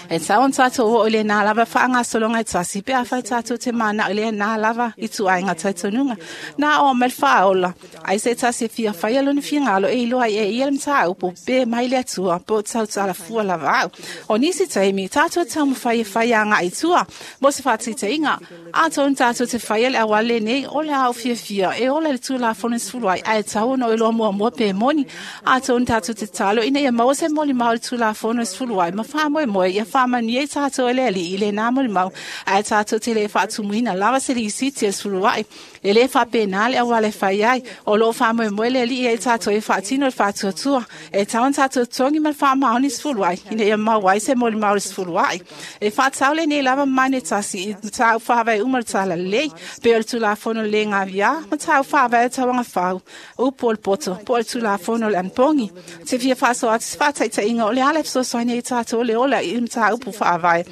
E tau ona tātou o i le nā lava whaangasologa e tasi, pe a whai tātou te mana i le nā lava i tuainga taitonuga. Nā o mai le whaaola, ai se tasi e fia whai alona whingalo e iloa i e ia le mtāupu, pe mai le atua, po tau tala fua lava au. O nisi taimi, tātou tau mwhai e whai a ngā i tua, mo se whātita inga, a tōn tātou te whai le awale nei, o le au fia fia, e ola le tūla fono sfulu ai, ai tau no iloa mua mua pe moni, a tōn tātou te talo, ina ia maua se moli mau le tūla fono sfulu ai, ma faamoemoe ia faamanuia i tatou e le Alii i lenā molimau, ae tatou te lē faatumuina lava se lisiti e le sefuluaʻi. E lē faapena le auala e fai ai. O loo faamoemoe le Alii ai tatou e faatino le faatuatua. E tau ona tatou totogi ma le faamaoni sefuluaʻi ina ia maua ai se molimau le sefuluaʻi. E faatau lenei lava mamanu e tasi i mataupu faavae uma o le talalelei, pei o le Tulafono le gaviā, mataupu faavae o tauaga fau, upu o le poto, po o le Tulafono o le anapogi. Te fia faasoa atu se faataitaiga o le ala e fesoasoani ai tatou le ola i le mataupu faavae.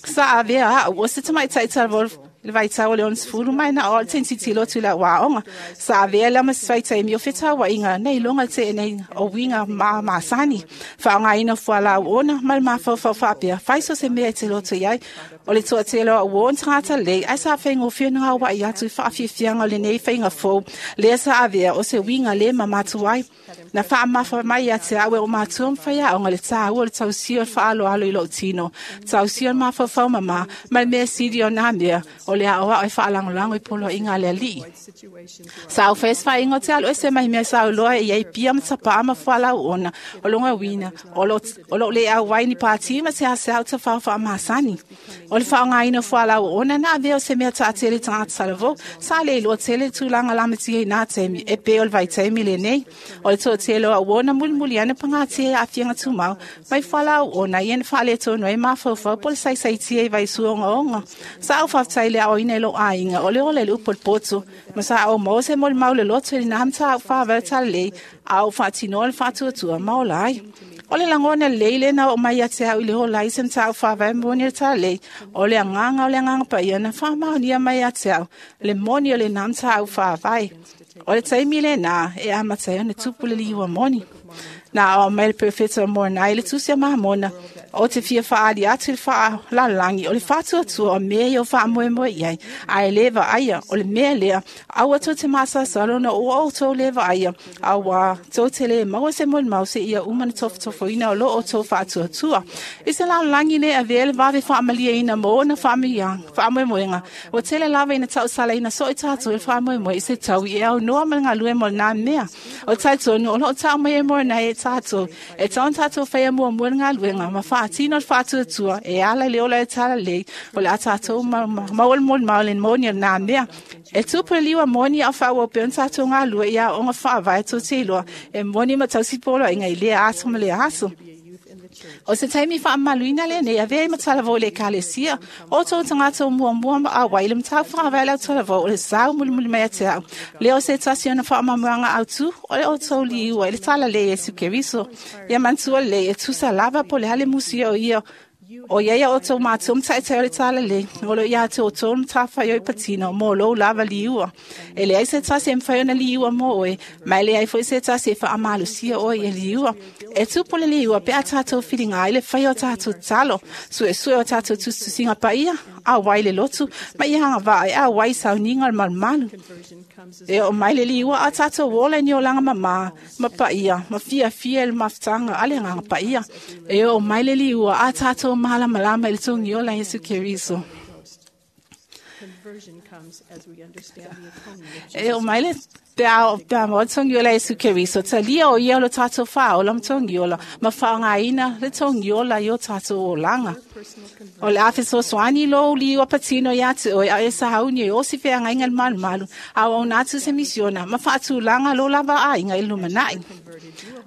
Sa avea au o se tamaitai talavou le vaitau o le 60 mai na o le tentitilo atu i le auaoga. Sa avea lea ma se faitaimi o fetauaiga nei loga teenei o uiga ma masani. Faaaogaina fualau ona ma le mafaufau faapea, fai so se mea e te loto i ai. O le toatele o au o ona tagata lelei, ae sa faigofie ona gauai atu i faafiafiaga o lenei faiga fou, lea sa avea o se uiga lē mamatu ai. Na faamafa mai ia te au e o matua ma faiaoga le tāua o le tausia o le faaaloalo i lou tino, tausia o le mafaufau mamā, ma le mea sili o nā mea, o le aoao e faalagolago i poloaiga a le Alii. Sa au fai se faaiga o te alu ese mai mea sa auloa e iai pia ma tapaa ma fualau ona, o loga uina, o loo le auai ni pāti ma se ase au tafao faamasani. O le faaaogaina o fualau ona na avea o se mea taatele tagata talavou, sa le iloa tele le tulaga lamatia i nā taimi, e pei o le vaitaimi lenei. O le toatele o au ona mulimuli ane pagatia i aafiaga tumau, mai fualau ona ia na faaletonu ai mafaufau po o le saisaitia i vaisua ogaoga. Sa au faafetai le aoina i lou aiga, o le ola i le upu o le poto, ma sa ou maua se molimau le loto i lenā mataupu faavae talalelei, a ou faatinoa le faatuatua ma ola ai. O le lagona lelei lena oo mai ia te au i le ola ai se mataupu faavae moni o le talalelei, o le agaga o le Agaga Paia na faamaonia mai ia te au le moni o lenā mataupu faavae. O le taimi lenā e amata ai ona tupu le liua moni. Na ao mai le perofeta o Moronai le tusi a Mamona, o te fia faaali atu i le faalalagi o le faatuatua o mea ia o faamoemoe i ai, ae lē vaaia. O le mea lea, aua tou te masalosalo ona ua outou lē vaaia, auā tou te lē maua se molimau seia uma ona tofotofoina o loo outou faatuatua. I se lalolagi lē avea le vave faamalieina mo ona faamoemoega, ua tele lava ina tausalaina soo i tatou i le faamoemoe i se taui e aunoa ma le galue mo lenā mea. O le talitonu o loo tau mai e Moronai e tatou, e tau ona tatou faia muamua le galuega ma faatino le faatuatua e ala i le ola e talalelei, o le a tatou maua le molimau le moni o lenā mea. E tupu le liua moni a o faaauau pea ona tatou galue i aoaoga faavae tou te iloa e moni ma tausi poloaiga i lea aso ma lea aso. O se taimi faamamaluina lenei avea ai matalavou i le Ekalesia, o outou tagata o muamua ma auai i le mataupu faavae le autalavou o le sau mulimuli mai ia te au. Lea o se tasi ona faamanuiaga autu o le outou liua i le talalelei Iesu Keriso. Ia manatua lelei e tusa lava po o le a le musia o ia o iai a outou matua ma taitai o le talalelei, o loo ia te outou le matafaioi patino mo lou lava liua. E leai se tasi e mafai ona liua mo oe, ma e leai foi se tasi e faamalosia oe ia liua. E tupu le liua pe a tatou filiga ai le faia o tatou tatalo, suesue o tatou tusitusiga paia, auai le lotu, ma ia agavaa e auai i sauniga o le malumalu. E oo mai le liua a tatou ola i ni olaga mamā ma paia, ma fiafia i le mafutaga a le Agaga Paia. E oo mai le liua a tatou malamalama i le togiola Iesu Keriso. E oo mai le pe a pe a maua le togiola Iesu Keriso, talia o ia o lo tatou faaola ma togiola, ma faaaogaina le togiola i o tatou olaga. O le a fesoasoani lou liua patino iā te oe, a e sauni e osi feagaiga le malumalu, a o auina atu se misiona ma faatulaga lo lava aiga i le lumanai.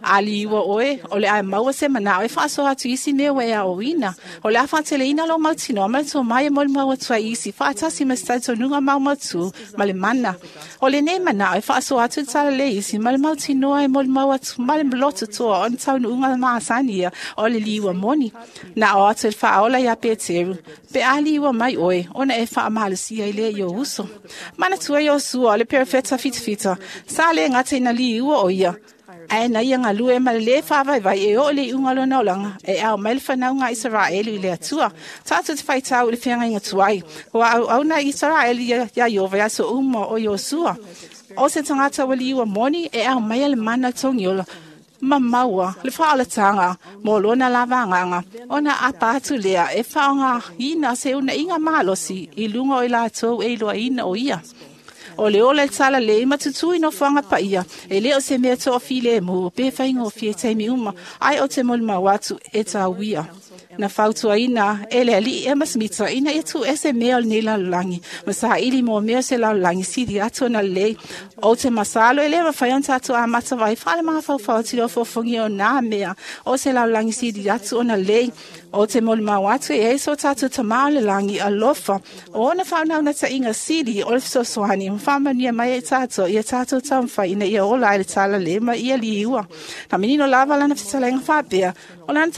A liua oe, o le a e maua se manao e faasoa atu i isi mea ua e aoina. O le a faateleina lou mautinoa ma le tomai e molimau atu ai i isi faatasi ma se talitonuga maumautu ma le mana. O lenei manao e faasoa atu le talalelei isi ma le mautinoa e molimau atu ma le loto toa o ni taunuuga masani ia o le liua moni. Na ao atu e le faaola iā Peteru, pe a liua mai oe, ona e faamalosia ai lea i ou uso. Manatua Iosua o le perofeta fitafita, sa le gata ina liua o ia, ae na ia galue ma le lē faavaivai e oo i le iuga o lona olaga, e ao mai le fanauga a Isaraelu i le Atua. Tatou te faitau i le feagaiga tuai, ua auauna Isaraelu iā Ieova i aso uma o Iosua. O se tagata ua liua moni e ao mai le mana togiola ma maua le faaolataga mo lona lava agaga, ona apa atu lea e faaaogaina se unaiga malosi i luga o i latou e iloaina o ia. O le ola i le talalelei ma tutū i nofoaga paia, e lē o se mea toafilemu pe faigofie i taimi uma, ae o te molimau atu e tauia. Na fautuaina e le ali'i Ema Smita ina ia tuuese mea o lenei lalolagi ma saili mo mea o se lalolagi sili atu ona lelei. Ou te masalo e lē mafai ona tatou amata vai faalemafaufau atu i le ofofogia o nā mea o se lalolagi sili atu ona lelei. O te molimau atu e ai so tatou Tamā o le lagi alofa o ona faaunaunataʻiga sili o le fesoasoani ma faamanuia mai ai tatou ia tatou taumafai ina ia ola ai le talalē ma ia liua. Na manino lava lana fetalaiga faapea o lana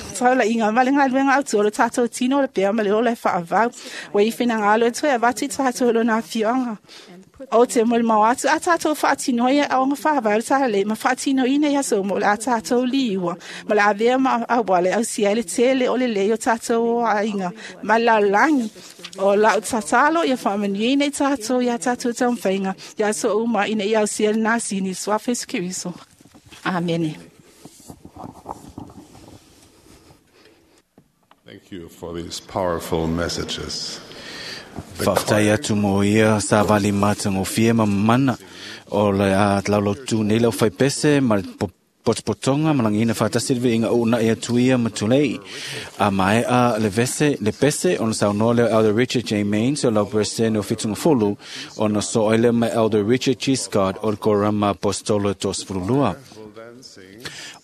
taulaʻiga ma le galuega autu o le tatou tino o le pea ma le ola e faavau. Ua i finagalo e toe avatu i tatou i lona afioaga. O te molimau atu a tatou faatinoa ia aoga faavae o le talalē ma faatinoina i aso uma o le a tatou liua ma le avea ma auala e ausia ai le tele o lelei o tatou aiga ma le lalolagi. O lau tatalo ia faamanuiaina i tatou ia tatou taumafaiga i aso uma ina ia ausia lenā sini i le Suafa Iesu Keriso. Amene. Thank you for these powerful messages. Faafetai atu mo ia savali matagofie ma mana o le a laulautu nei le aufaipese ma le potopotoga ma lagiina faatasi le viiga uunaʻi atu ia ma tulei. A maeʻa le vese le pese ona saunoa lea o Elder Richard J. Mains o lau Peresetene o Fitugafulu ona soo ai lea ma Elder Richard G. Scott o le Korama Aposetolo e 32.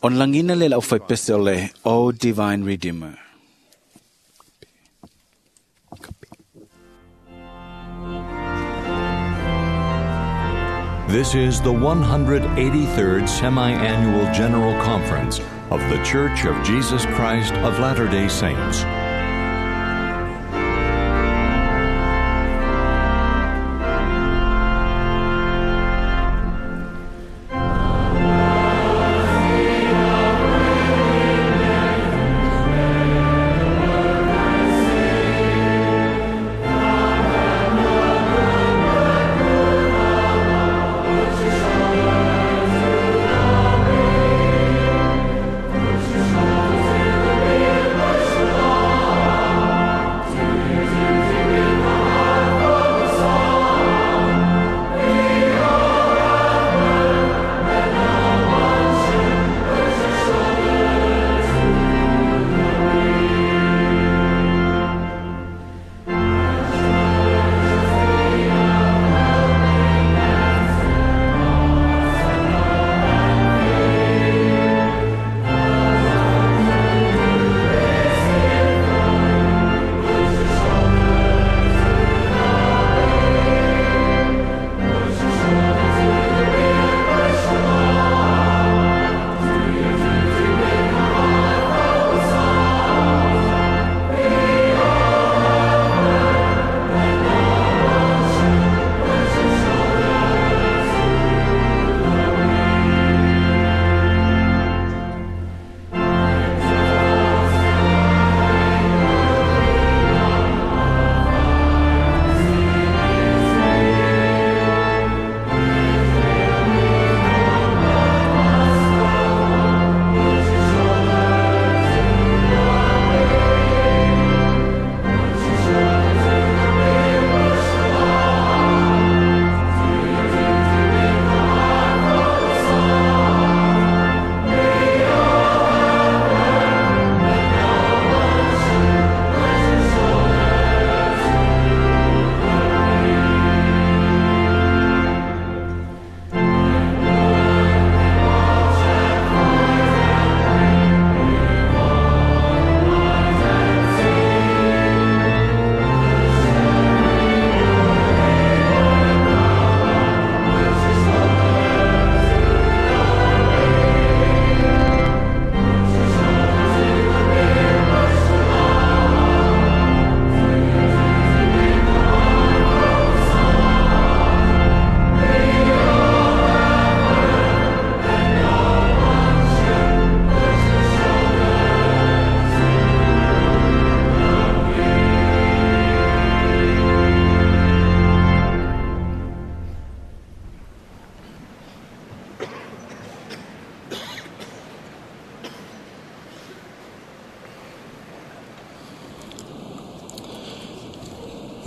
Ona lagiina lea le aufaipese o le O Divine Redeemer. This is the 183rd Semi Annual General Conference of The Church of Jesus Christ of Latter day Saints.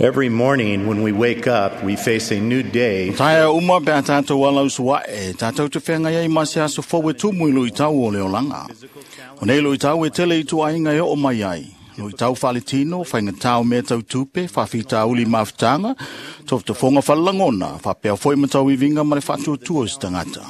Every morning when we wake up, we face a new day. Taea uma pe a tātou ala usuae, tātou te whenga iai ma se aso fau e tumu i lui tau o le olanga. O nei luitau e tele i tuaiga e oo mai ai. Luitau faaletino, faigatā o mea tautupe, faafitauli mafutaga, tofotofoga falelagona, faapea foi ma tauiviga ma le faatuatua o se tagata.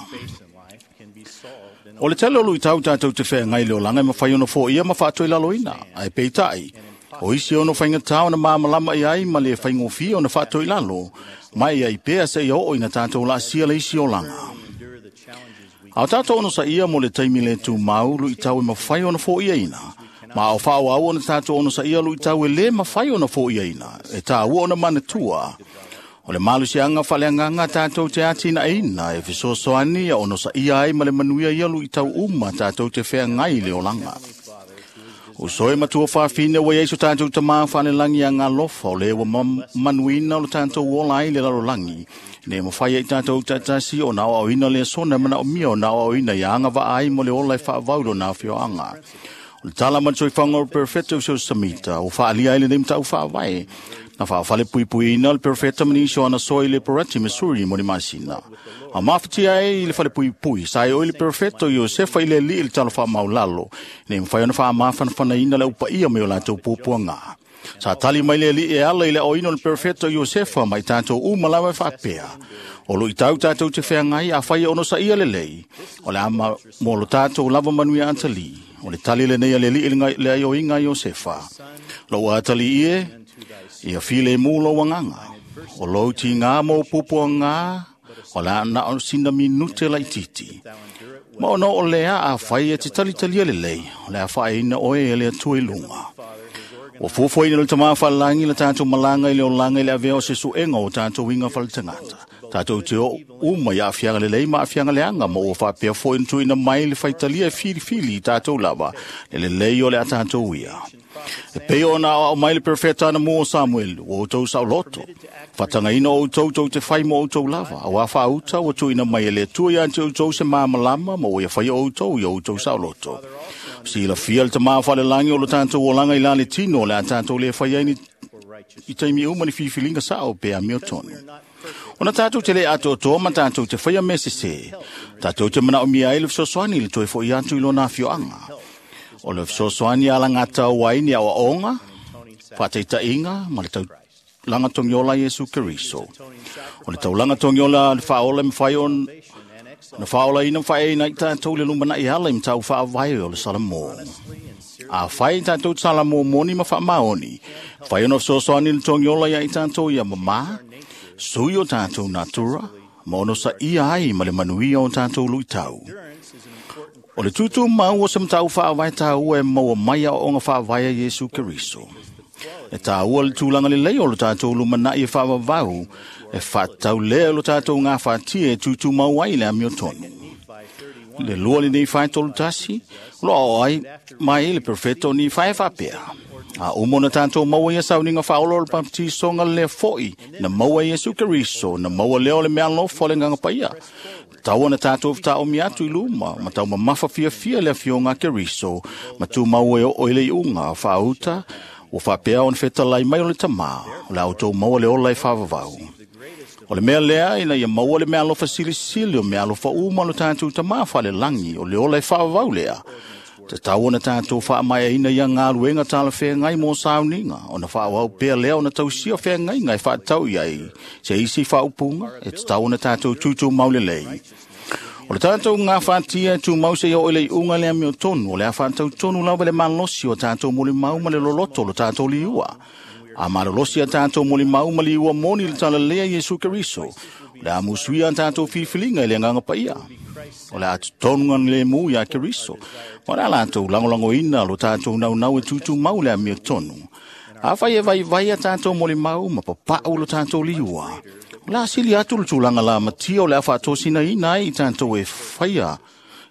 O le tele o luitau tatou te feagai le olaga e mafai ona foia ma faatoilaloina, ae peitai, o isi ono faigatā ona malamalama i ai ma le faigofie ona faatoilalo, ma e ai pea seia oo ina tatou laasia le isi olaga. A o tatou onosaia mo le taimi le tumau luitau e mafai ona foiaina, ma o faaauau ona tatou onosaia luitau e lē mafai ona foiaina, e tāua ona manatua. O le malosiaga faaleagaga tatou te atinaeina e fesoasoani ia onosaia ai ma le manuia ia luitau uma tatou te feagai i le olaga. O soe matua faafine ua iai so tatou tamā faalelagi agalofa o lē ua manuina o lo tatou ola ai le lalolagi, ne mafai ai tatou taatasi ona aoaoina le sona manaomia ona aoaoina ia agavaa ai mo le ola e faavau lona afioaga. O le tala ma le soifaga o le Perofeta o Samita ua faaalia ai lenei matau faavae na faafale puipuiina le Perofeta ma nisi o ana soa i le Porati, Missouri mo le masina. A mafatia ai i le falepuipui, sa e oi le Perofeta o Iosefa i le alii i le talo faamaulalo, nei mafai ona faamafanafanaina le aupaia mai o latou puapuaga. Sa tali mai le alii e ala i le aoina o le Perofeta o Iosefa ma i tatou uma lava e faapea. O luitau tatou te feagai afai e onosaia lelei, o le a mo lo tatou lava manuia atali. O le tali lenei a le alii i le aioiga a Iosefa. Lou atali ie, ia file mu lou agaga. O lou tigā ma ou puapuaga, o le a na o sina minute laitiiti. Ma ona o lea afai e te talitalia lelei, o le a faaeina oe e le Atua i luga. Ua fuafuaina le tamā faalelagi le tatou malaga i le olaga i le avea o se suega o tatou uiga faletagata. Tatou te oo uma i aafiaga lelei ma aafiaga leaga, ma ua faapea foi ona tuuina mai le faitalia e filifili i tatou lava, le lelei o le a tatou ia. E pei ona aoao mai le Perofeta anamua o Samuelu, ua outou saoloto. Faatagaina o outou tou te fai mo outou lava, auā faauta ua tuuina mai e le Atua ia te outou se malamalama ma ua ia faia outou ia outou saoloto. Silafia le tamā faalelagi o lo tatou olaga i la le tino o le a tatou le fai ai ni i taimi uma ni filifiliga sao pe amiotonu. Ona tatou te le atoatoa ma tatou te faia mea sesē, tatou te manaomia ai le fesoasoani i le toe fo'i atu i lona afioaga. O le fesoasoani alagatau ai ni aoaoga, faataitaiga ma le taulaga togiola Iesu Keriso. O le taulaga togiola le faaola e mafai ona faaolaina ma faaeaina ai tatou le lumanai ala i matau faavae o le Salamo. Afai tatou te salamo moni ma faamaoni, fai ona fesoasoani le togiola ia i tatou ia mamā, sui o tatou natura, ma onosaia ai ma le manuia o tatou luitau. O le tūtū mau o se matau faavae tāua e maua mai aoaoga faavae a Iesu Keriso. E tāua le tulaga lelei o lo tatou lumanai e faavavau, e faatatau lea o lo tatou gafatia e tūtūmau ai le amiotonu. Le lua lenei 4:31, o lo aoao ai mai le Perofeta o Nifae e faapea. A uma ona tatou maua ia sauniga faaola o le bapetisoga lea foi na maua e Iesu Keriso, na maua lea o le mealofa o le Agaga Paia. Tau ona tatou fetaomi atu i luma, ma tau mamafa fiafia le afioga a Keriso, ma tumau e oo i le iuga faauta, ua faapea ona fetalai mai o le tamā, o le a outou maua le ola e faavavau. O le mea lea ina ia maua le mealofa silisili o mealofa uma o lo tatou tamā faalelagi, o le ola e faavavau lea. Tatau ona tatou faamaeaina ia galuega talafeagai mo sauniga, ona faaauau pea lea ona tausia feagaiga e faatatau i ai se isi faaupuga, e tatau ona tatou tutumau lelei. O le tatou gafatia e tumau seia oo i le iuga le amiotonu, o le a faatautonu lava le malosi o tatou molimau ma le loloto o lo tatou liua. A malolosi a tatou molimau ma liua moni le talalea Iesu Keriso, o le a musuia a tatou filifiliga i le Agaga Paia. O le a totonu lemu ia Keriso, ma o le a latou lagolagoina lo tatou naunau e tutumau le amiotonu. Afai e vaivai a tatou molimau ma papau lo tatou liua, o le a sili atu le tulaga lamatia o le a faatosinaina ai i tatou e faia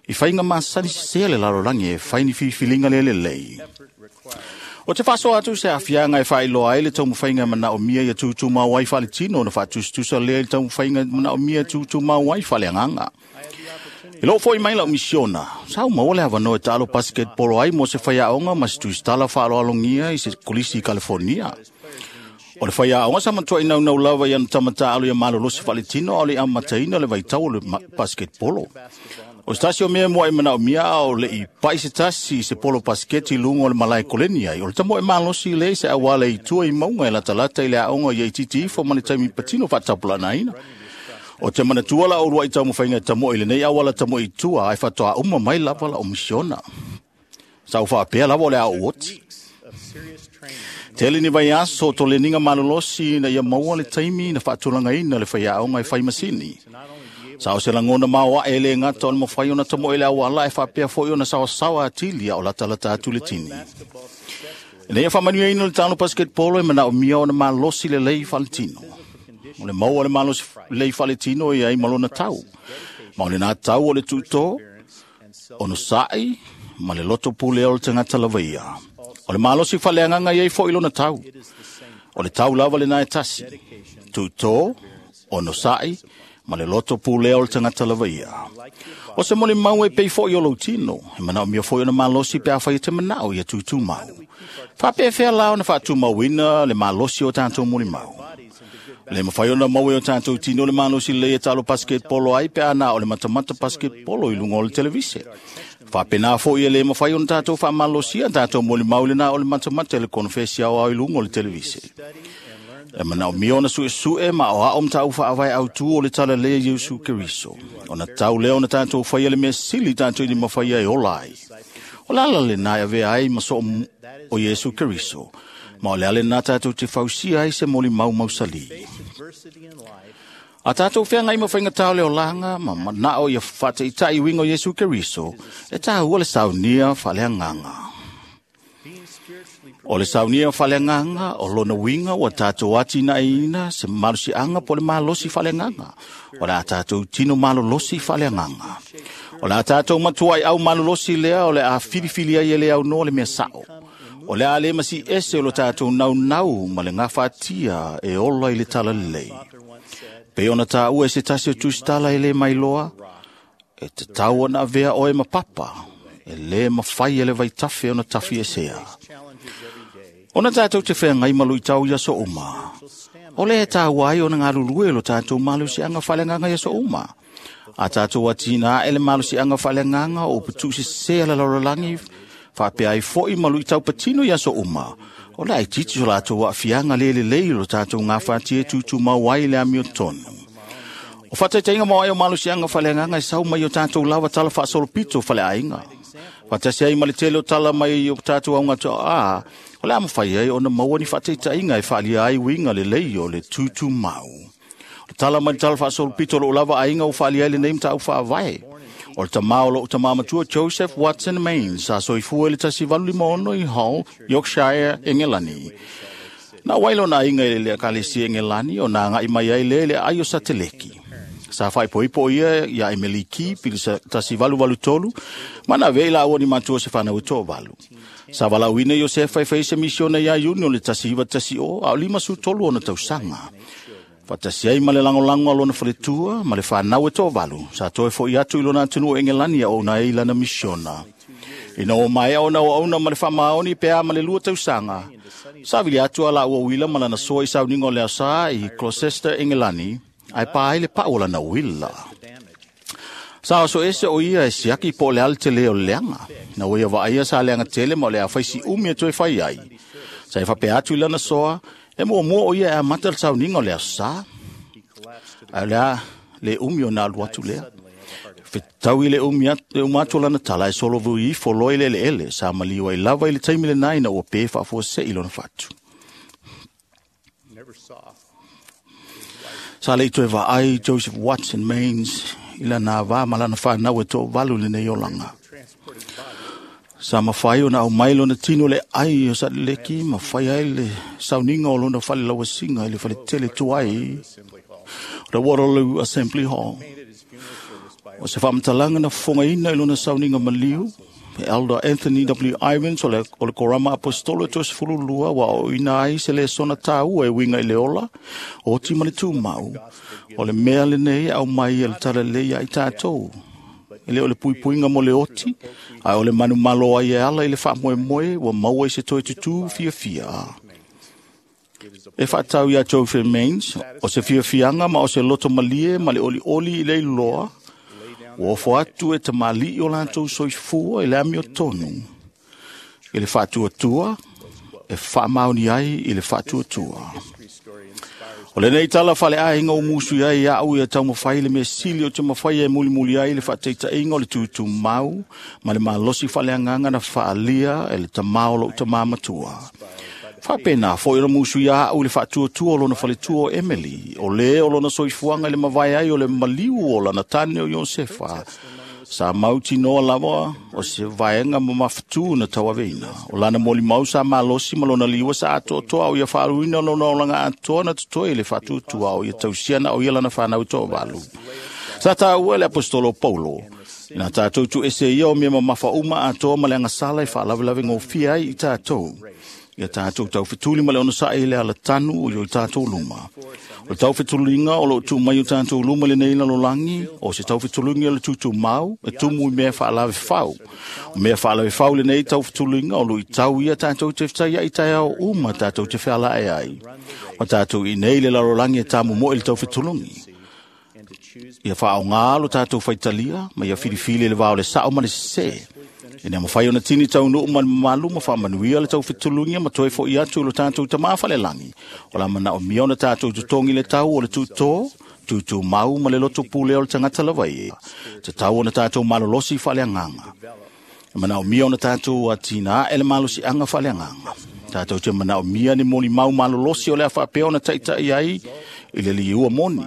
i faiga masani sesē le lalolagi e fai ni filifiliga le lelei. O te faasoa atu se aafiaga e faailoa ai le taumafaiga e manaomia ia tutumau ai faaletino ona faatusatusa lea i le taumafaiga e manaomia e tutumau ai faaleagaga. I loo foi mai lau misiona, sa ou maua le avanoa e taalo basketball ai mo se faiaoga ma se tusitala faaaloalogia i se kolisi i California. O le faiaoga sa matuai naunau lava i ana tama taalo ia malolosi faaletino a o le amataina le vaitau o le basketball. O se tasi o mea mua e mana o mia o le i pai se tasi se polo pasketi lungo le malae koleni ai. O le tamo e malosi le se awala i tua i maunga e latalata i le aonga i titi ifo ma le taimi patino whaatapulana ina. O te mana tua la orua i tau mawhainga tamo i le nei awala tamo i tua ai whatoa uma mai lava la o misiona. Sa u whaapea lava o le ao oti. Tele ni vai aso to le ninga malolosi na ia maua le taimi na whaatulanga ina le whai aonga i whai masini. Sa o se langona maua e le ngata o le mawhai o na tamo ele awala e whapea foi o na sawasawa atili o lata atu le tini. Nei e whamanua ina le tano basketball e mana o mia o na malosi le lei whaletino. O le maua le malosi lei whaletino e ai malona tau. Ma o le nā tau o le tuto, o no sai, ma le loto pule o le tangata lavaia. O le malosi whaleanganga iei fo ilona tau. O le tau lava le nai tasi. Tuto, o no sai, ma le loto pule o le tangata lavaia. O se mole mau e pei fo i o lautino. E manao mia fo i ona malosi pe a whai te manao ia tūtū mau. Whapea whea lao na whātū mauina le malosi o tātou mole mau. Le mawhai ona mau e o tātou tino le malosi le e talo basketball ai pe ana o le matamata basketball i lunga o le televise. Whapena fo i e le mawhai ona tātou wha malosi a tātou mole mau le na o le matamata le konfesi au au i lunga o le televise. E manao mia ona sue sue ma o ao mtau whaawai au tu o le tala lea Yesu Keriso. O na tau leo na tātou whaia le mea sili tātou i mawhaia e ola ai. O lala le nai ave ai maso o Yesu Keriso. Ma o le ale nā tātou te fausia ai se moli mau mausali. A tātou whia ngai mawhainga tau leo langa ma manao ia whate i tai wingo Yesu Keriso e tāua le saunia whalea nganga. O le saunia whalenganga, o lona winga o tātou atina ina se malusi anga po le malosi whalenganga. O le a tātou tino malolosi whalenganga. O le a tātou matuai au malolosi lea o le a whiriwhiri ai ele au no le mea sao. O le a le masi ese o le tātou nau nau ma le ngawhatia e ola i le tala lelei. Pe ona tā ua e se tasi o tūstala e le mailoa, e te tau ona avea oe ma papa, e le mawhai ele vai tafe ona tafi e sea. Ona tātou te whea ngai malu i tau ia so uma. O le e tāu ai ona ngā lo tātou malu si anga whalenganga ia so uma. A tātou atina ele malu si anga whalenganga o putu se se ala lorolangi whapea ai foi malu i tau patino ia so uma. O le ai titi o lātou a whianga lele lei lo tātou ngā whatie tūtū mau ai le amio tonu. O whataitainga mau ai o malu si anga whalenganga e sau mai o tātou lawa tala whaasolopito whale ainga. Whatasi ai male tele o tala mai o tātou au ngātua a, o le amawhai ai o na maua ni whataitainga e whaalia ai winga le lei o le tūtū mau. O tala mai tala whaasolopito lo lava ainga o whaalia ai le nei mta au whaavae. O le tamao lo tamā matua Joseph Watson Mains sa soifua le tasi valu lima ono i Hull, Yorkshire, Engelani. Na wailo na inga i le akalesi Engelani o nā ngai mai ai le le ai o sateleki. Sa whai poipo ia ia Emily Key, pili tasi valu valu tolu, mana vei la ni matua se whanau tō valu. Sa walauina Josefa e whai se misiona ia Iuni o le tasi iwa tasi o, a o lima su tolu ona tausanga. Whatasi ai ma le langolango a lona whaletua, ma le whanau e tō valu. Sa toe fo i atu i lona atunu o Engelani a o na e ilana misiona. Ina o mai au na o auna ma le whamaoni pea ma le lua tausanga. Sa vili atu ala ua wila ma lana soa i sauningo lea sa i Gloucester, Engelani, ai pā le pa o lana wila. Sa oso ese o ia e siaki po le ale tele o leanga. Na o ia vaia sa leanga tele ma o le a whaisi umi e toe whai ai. Sa e whape atu i lana soa, e mua mua o ia e a mata le sauninga o lea sa. Ai lea le umi o nā luatu lea. Fetau i le umi atu lana tala e solo vui ifo loi le ele ele. Sa maliwa i lava i le taimi le nai na ua pe whaafua se i lona whatu. Sa le toe vaai Joseph Watson Mains i lana wā malana whanau e tō valu le nei olanga. Sa mawhai o na au mai lona tino le ai o sa leki, mawhai ai le sauninga o lona whale lawasinga i le whale tele tuai o the Waterloo Assembly Hall. O se whamatalanga na whongaina i lona sauninga maliu, Elder Anthony W. Ivins o le Korama Apostolo tō se fululua wa o ina ai se le sona tāua e winga i le ola, o ti ma le tūmau, o le mea le nei au mai e le tala lei ai tātou. E le o le puipuinga mo le oti, ai o le manu malo ai e ala i le whaamoe moe, wa maua i se toi tutu fia fia. E whaatau ia Joseph Mains, o se fia fianga ma o se loto malie ma le oli oli i le loa, Ua ofo atu e tamalii o latou soifua i le amiotonu i le faatuatua e faamaoni ai i le faatuatua. O lenei tala faaleaiga o musu ai au ia taumafai le mea sili o te mafai e mulimuli ai le faataitaiga o le tutumau ma le malosi faaleagaga na faaalia e le tamā o lou tamā matua. Faapena foi ona musu ia au i le faatuatua o lona faletua o Emily, o lē o lona soifuaga i le mavae ai o le maliu o lana tane o Iosefa, sa mautinoa lava o se vaega mamafatū na tauaveina. O lana molimau sa malosi ma lona liua sa atoatoa o ia faaluina lona olaga atoa na totoe i le faatuatua o ia tausia na o ia lana fanau toavalu. Sa taua le apostolo Paulo, ina tātou tuuese ia o mea mamafa uma atoa ma le agasala e faalavelave gofie ai i tātou. Ia tātou taufetuli ma le onosaʻi i le alatanu o i tātou luma. O le taufetuliga o loo tuu mai o tātou luma lenei lalolagi, o se taufetuliga o le tutumau e tumu i mea faalavefau. O mea faalavefau lenei taufetuliga o luitau ia tātou te fetaiaʻi taeao uma tātou te fealae ai. O tātou inei le lalolagi e tamomoe le taufetulugi. Ia faaogā lo tātou faitalia, ma ia filifili le vao le sao ma le sesē. Ina mawhai ona tini taunuu ma le mamalu ma faamanuia le taufetulugia ma toe fo'i atu i lo tātou tamā falelagi. O la manaomia ona tātou totogi le tau o le tūtō, tūtūmau ma le loto pule o le tagata lava e. Te tau ona tātou malolosi faaleagaga. E manaomia ona tātou atina ae le malosiaga faaleagaga. Tātou te manaomia ni molimau malolosi o le a faapea ona taʻitaʻi ai i le liua moni.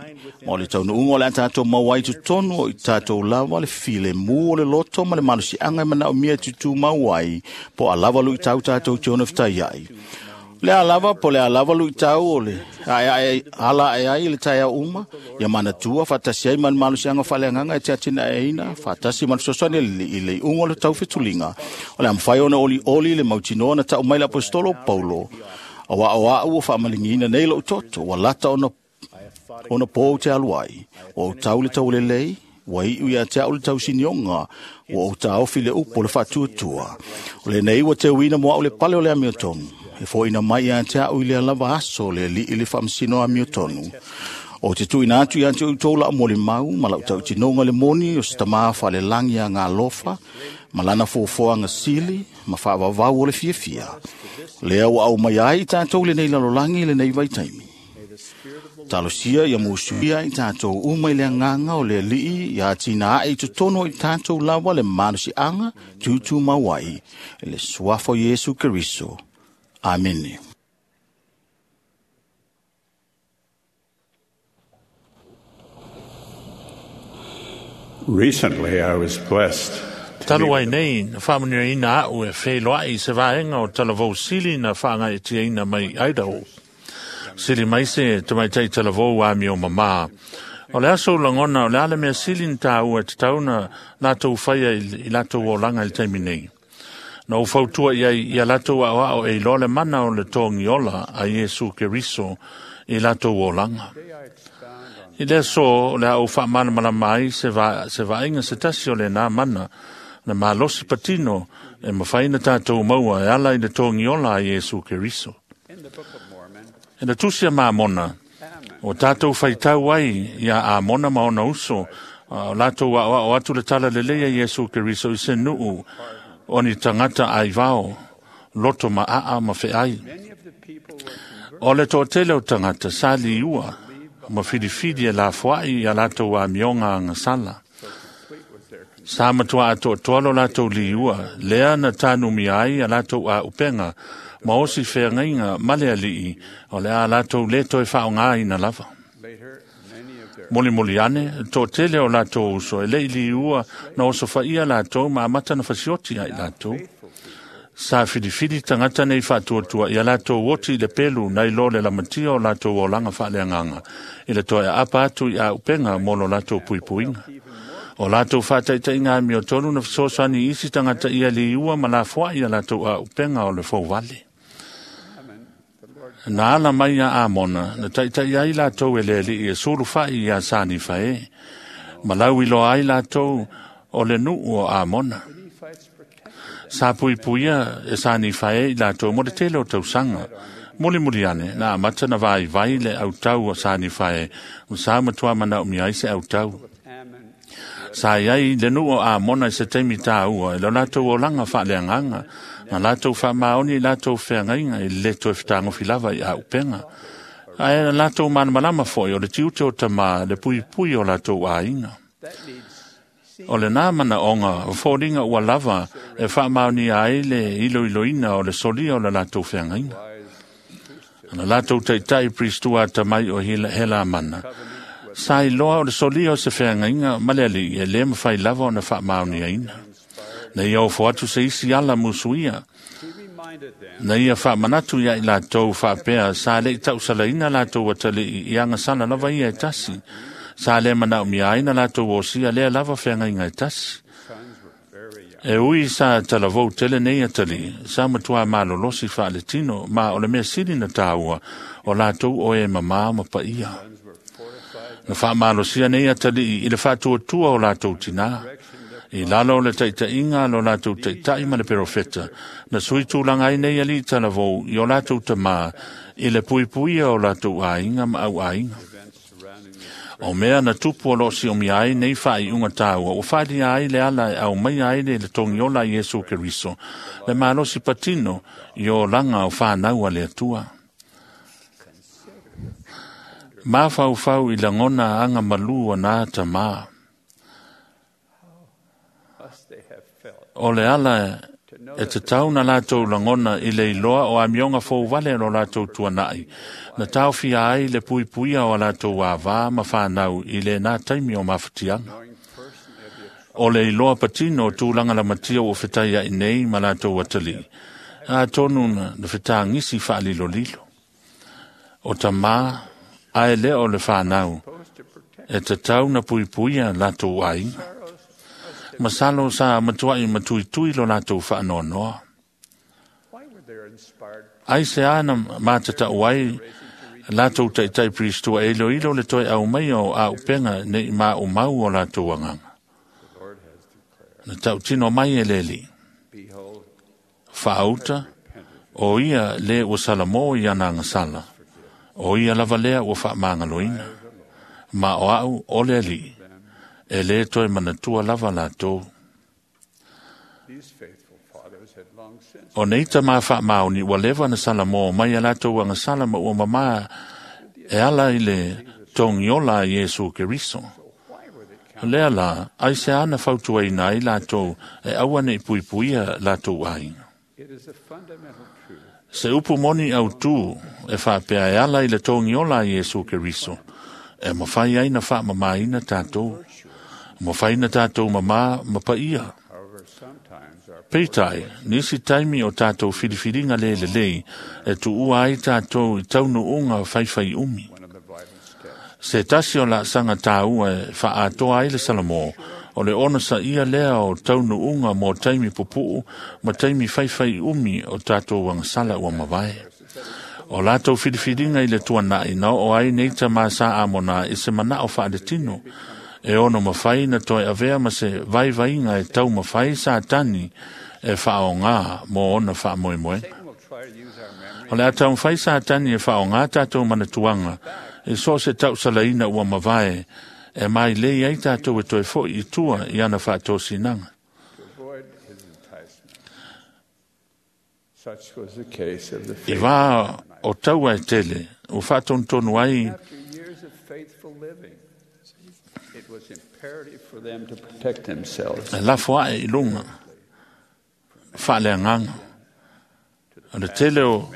Ma o le taunuuga o le a tātou mau ai totonu o i tātou lava le filemu o le loto ma le malosiaga e manaomia e tutumau ai po o a lava luitau tātou te ono fetaiai. Le a lava po le a lava luitau o le aeae ala ae ai i le taeao uma, ia manatua faatasi ai ma le malosiaga faaleagaga e te atinaeina, faatasi ma le fesoasoani i le iuga o le taufetuliga. O le a mafai ona olioli le mautinoa na taʻu mai le apostolo Paulo, auā o aʻu ua faamaligiina nei loʻu toto, ua lata ona pou te alu ai. Ua ou tau le taulelei, ua iu ia te au le tausinioga, ua ou taofi le upu o le faatuatua. O lenei ua teuina mo au le pale o le amiotonu, e foʻina mai ia te au i lea lava aso le alii le faamasino amiotonu. O te tuuina atu ia te outou laʻu molimau ma laʻu tautinoga le moni o se tamā faalelagi agalofa ma lana foafoaga sili ma faavavau o le fiafia. Lea ua aumai ai i tatou lenei lalolagi lenei vaitaimi. Talosia ia musuia i tātou uma i le agaga o le alii ia atina ae i totonu o i tātou lava le malosiaga tutumau ai i le suafa o Iesu Keriso. Amene. Recently, I was blessed Talu ai nei, na faamanuiaina aʻu e feiloaʻi i se vaega o talavou sili na faagaʻitiaina mai Idaho. Sili mai se tamaitai talavou amio mamā. O le aso lagona o le a le mea sili na tāua e tatau na latou faia i latou olaga i le taimi nei. Na ou fautua i ai ia latou aʻoaʻo e iloa le mana o le togiola a Iesu Keriso i latou olaga. I le aso o le a ou faamalamalama ai se vaaiga se tasi o lenā mana na malosi patino e mafai na tātou maua e ala i le togiola a Iesu Keriso. E na tusi a Mamona, o tātou faitau ai ia Amona ma ona uso, o latou aʻoaʻo atu le tala lelei a Iesu Keriso i se nuu o ni tagata aivao, loto ma aa ma feai. O le toatele o tagata sa liua ma filifili e lafoai ia latou amioga agasala. Sa matua atoatoa lo latou liua, lea na tanumia ai a latou auupega, ma osi feagaiga ma le alii, o le a latou lē toe faaaogāina lava. Molimoli ane, toatele o latou uso e leʻi liua na osofaia latou ma amata na fasioti ai latou. Sa filifili tagata nei faatuatua ia latou oti i le pelu nai lo le lamatia o latou olaga faaleagaga i le toe aapa atu i auupega mo lo latou puipuiga. O latou faataʻitaʻiga amiotonu na fesoasoani i isi tagata ia liua ma lafoaʻi ia latou auupega o le fouvale. Na ala mai ia Amona, na taʻitaʻi ai latou e le alii e sulufaʻi iā Sanifaē, ma lau iloa ai latou o le nuu o Amona. Sa puipuia e Sanifaē i latou mo le tele o tausaga. Mulimuli ane, na amata na vaivai le autau o Sanifaē, ma sa matuā manaomia ai se autau. Sa iai le nuu o Amona i se taimi tāua, e lo latou olaga faaleagaga, na latou faamaoni i latou feagaiga i le lē toe fetagofi lava i auupega. Ae na latou malamalama foi o le tiute o tamā le puipui o latou aiga. O lenā manaoga o foliga ua lava e faamaonia ai le iloiloina o le solia o le latou feagaiga. Na latou taitai Pristua tamai o Helamana, sa iloa o le solia o se feagaiga ma le alii e lē mafai lava ona faamaoniaina. Na ia ofo atu se isi ala musuia. Na ia faamanatu ia i latou faapea sa le'i tausalaina latou atalii i agasala lava ia e tasi. Sa lē manaomia ai na latou osia lea lava feagaiga e tasi. E ui sa talavou tele nei atalii, sa matuā malolosi faaletino, ma o le mea sili na tāua, o latou o e mamā ma paia. Na faamalosia nei atalii i le faatuatua o latou tinā. I lalo o le taitaiga a lo latou taitai ma le perofeta, na sui tulaga ai nei alii talavou i o latou tamā i le puipuia o latou aiga ma au aiga. O mea na tupu o loo siomia ai nei faaiuga tāua, ua faaalia ai le ala e aumaia ai le togiola a Iesu Keriso, le malosi patino i olaga o whanau a le Atua. Mafaufau i lagona aga malū o nā tamā. O le ala e tatau na latou lagona i le iloa o amioga fouvale lo latou tuanai, na taofia ai le puipuia o a latou avā ma whanau i le nā taimi o mafatiaga. O le iloa patino o tulaga lamatia ua fetai ai nei ma latou atalii, a tonu na fetagisi faalilolilo. O tamā, ae lea o le whanau, e tatau na puipuia latou aiga. Masalo sa matuai matuitui lo latou faanoanoa. Ai se ana matatau ai latou taitai Pristua e iloilo le toe aumaia o auupega nei maumau o latou agaga. Na tautino mai e le Alii. Faauta, o ia le ua salamo i ana agasala, o ia lava lea ua faamagaloina. Ma o au o le Alii, e lē toe manatua lava latou. O nei tamā faamaoni ua leva na salamo mai a latou agasala ma ua mamā e ala i le togiola a Iesu Keriso. Lea la, ai se ana fautuaina ai latou e aua nei puipuia latou aiga. Se upu moni autū e faapea e ala i le togiola a Iesu Keriso, e mafai ai na faamamāina tatou, mafai na tatou mamā ma paia. Peitai, nisi taimi o tatou filifiliga le lelei e tuua ai tatou i taunuuga faifai umi. Se tasi o laasaga tāua e faaatoa ai le Salamo, o le ona saia lea o taunuuga mo taimi pupuu ma taimi faifai umi o tatou agasala ua mavae. O latou filifiliga i le tuanai na oo ai nei tamā sa Amona i se manao faaletino, e ono mafai na toe avea ma se vaivaiga e taumafai Satani e faaogā mo ona faamoemoega. O le a taumafai Satani e faaogā tatou manatuaga e so o se tausalaina ua mavae e mailei ai tatou e toe foi i tua i ana faatosinaga. I vā o taua e tele, ua faatonutonu ai e lafo ae i luga faaleagaga. O le tele o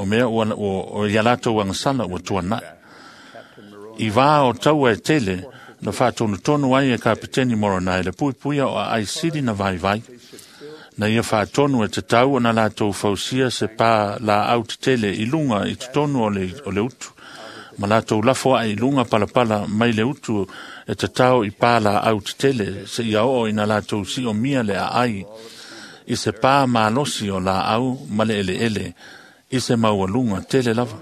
mea ua o ia latou agasala ua tuanai. I vā o taua e tele, na faatonutonu ai e Kapiteni Moronai le puipuia o aai sili na vaivai. Na ia faatonu e tatau ona latou fausia se pā laau tetele i luga i totonu o le utu. Ma latou lafo ae i luga palapala mai le utu e tatao i pā laau tetele se ia oo ina latou siomia le aai i se pā malosi o laau ma le eleele i se maualuga tele lava.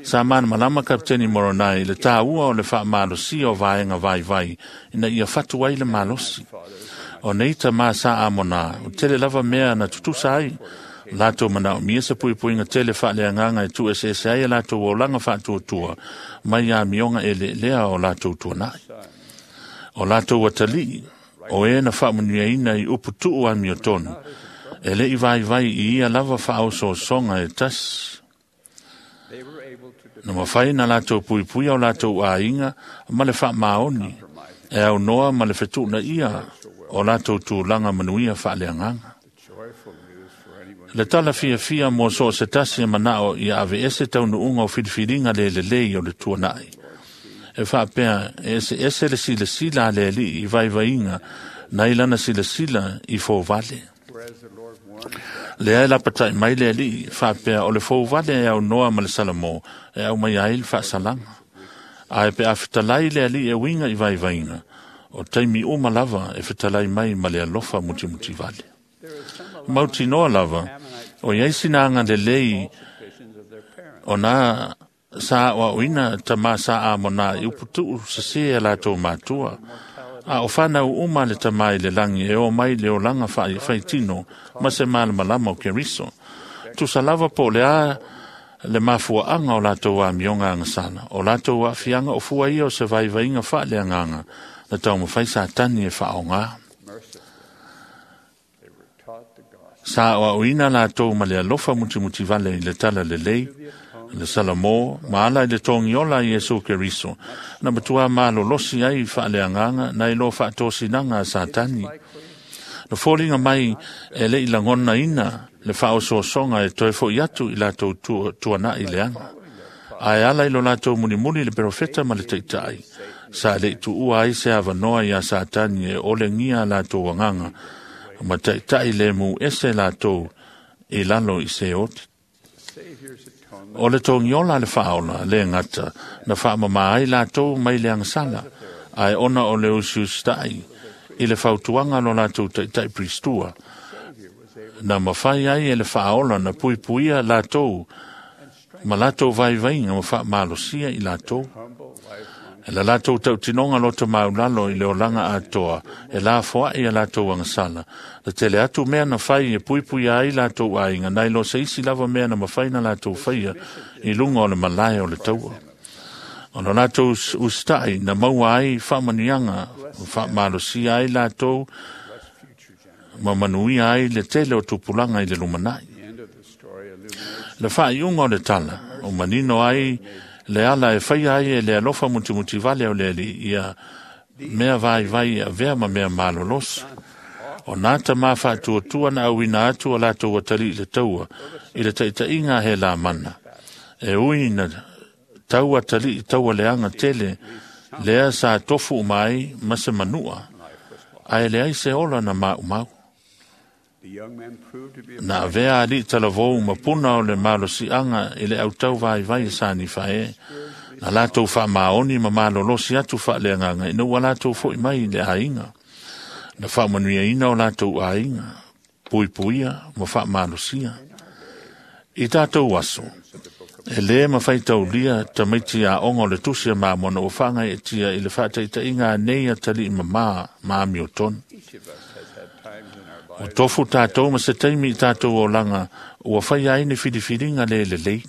Sa malamalama Kapiteni Moronai le tāua o le faamalosia o vaega vaivai ina ia fatu ai le malosi. O nei tamā sa Amona, o tele lava mea na tutusa ai, Latou manaomia se puipuiga tele faaleagaga e tuueseese ai a latou olaga faatuatua mai amioga eleelea o latou tuanai. O latou atalii, o e na faamanuiaina i uputuu amiotonu, e le'i vaivai i ia lava faaosoosoga e tasi. Na mafai na latou puipuia o latou aiga ma le faamaoni, e aunoa ma le fetuunaia o latou tulaga manuia faaleagaga. Le tala fiafia mo so o se tasi e manao ia aveese taunuuga o filifiliga le lelei o le tuanai. E faapea e eseese le silasila a le Alii i vaivaiga nai lana silasila i fouvale. Lea e lapatai mai le Alii faapea o le fouvale e aunoa ma le Salamo e aumaia ai le faasalaga. Ae pe a fetalai le Alii e uiga i vaivaiga, o taimi uma lava e fetalai mai ma le alofa mutimutivale. Mautinoa lava, o iai sina agalelei o nā sa aoaoina tamā sa amona i uputuu sesē a latou matua. A o whanau uma le tamā i le langi e o mai le olaga faitino ma se malamalama o Keriso. Tusa lava po o le a le mafuaaga o latou amioga agasala, o latou aafiaga o fua ia o se vaivaiga faaleagaga na taumafai Satani e faaaogā. Sa aoaoina latou ma le alofa mutimutivale i le tala lelei, le Salamo, ma ala i le togiola a Iesu Keriso, na matua malolosi ai faaleagaga nai lo faatosinaga a Satani. Na foliga mai e le'i lagonaina le faaosoosoga e toe fo'i atu i latou tuana'i leaga. Ae ala i lo latou mulimuli le perofeta ma le taitai, sa le'i tuua ai se avanoa iā Satani e olegia a latou agaga, ma taitai le mu ese latou i lalo i se oti. O le togiola a le faaola le gata na faamamā ai latou mai le agasala, ae ona o le usiusitai i le fautuaga a lo latou taitai Pristua, na mafai ai e le faaola na puipuia latou ma latou vaivaiga ma faamalosia i latou. E la latou tautinoga loto maulalo i le olaga atoa, e lafoai a latou agasala. Na tele atu mea na fai e puipuia ai latou aiga, nai lo se isi lava mea na mafai na latou faia i luga o le malae o le taua. O lo latou usitai na maua ai faamanuiaga, faamalosia ai latou ma manuia ai le tele o tupulaga i le lumanai. Le faaiuga o le tala, o manino ai le ala e faia ai e le alofa mutimutivale o le Alii ia mea vaivai e avea ma mea malolosi. O nā tamā faatuatua na auina atu o latou atalii i le taua i le taitaiga a Helamana. E ui na tau atalii taua leaga tele lea sa tofu uma ai ma se manua, ae leai se ola na maumau. Na avea alii talavou ma puna o le malosiaga i le autau vaivai e sa nifae, na latou faamaoni ma malolosi atu faaleagaga ina ua latou fo'i mai i le aiga. Na faamanuiaina o latou aiga, puipuia ma faamalosia. I tatou aso, e lē mafai taulia tamaiti aoga o le tusi a Mamona ua faagaeetia i le faataitaiga anei atalii mamā ma amiotonu. O tofu tatou ma se taimi i tatou olaga ua faia ai ni filifiliga le lelei.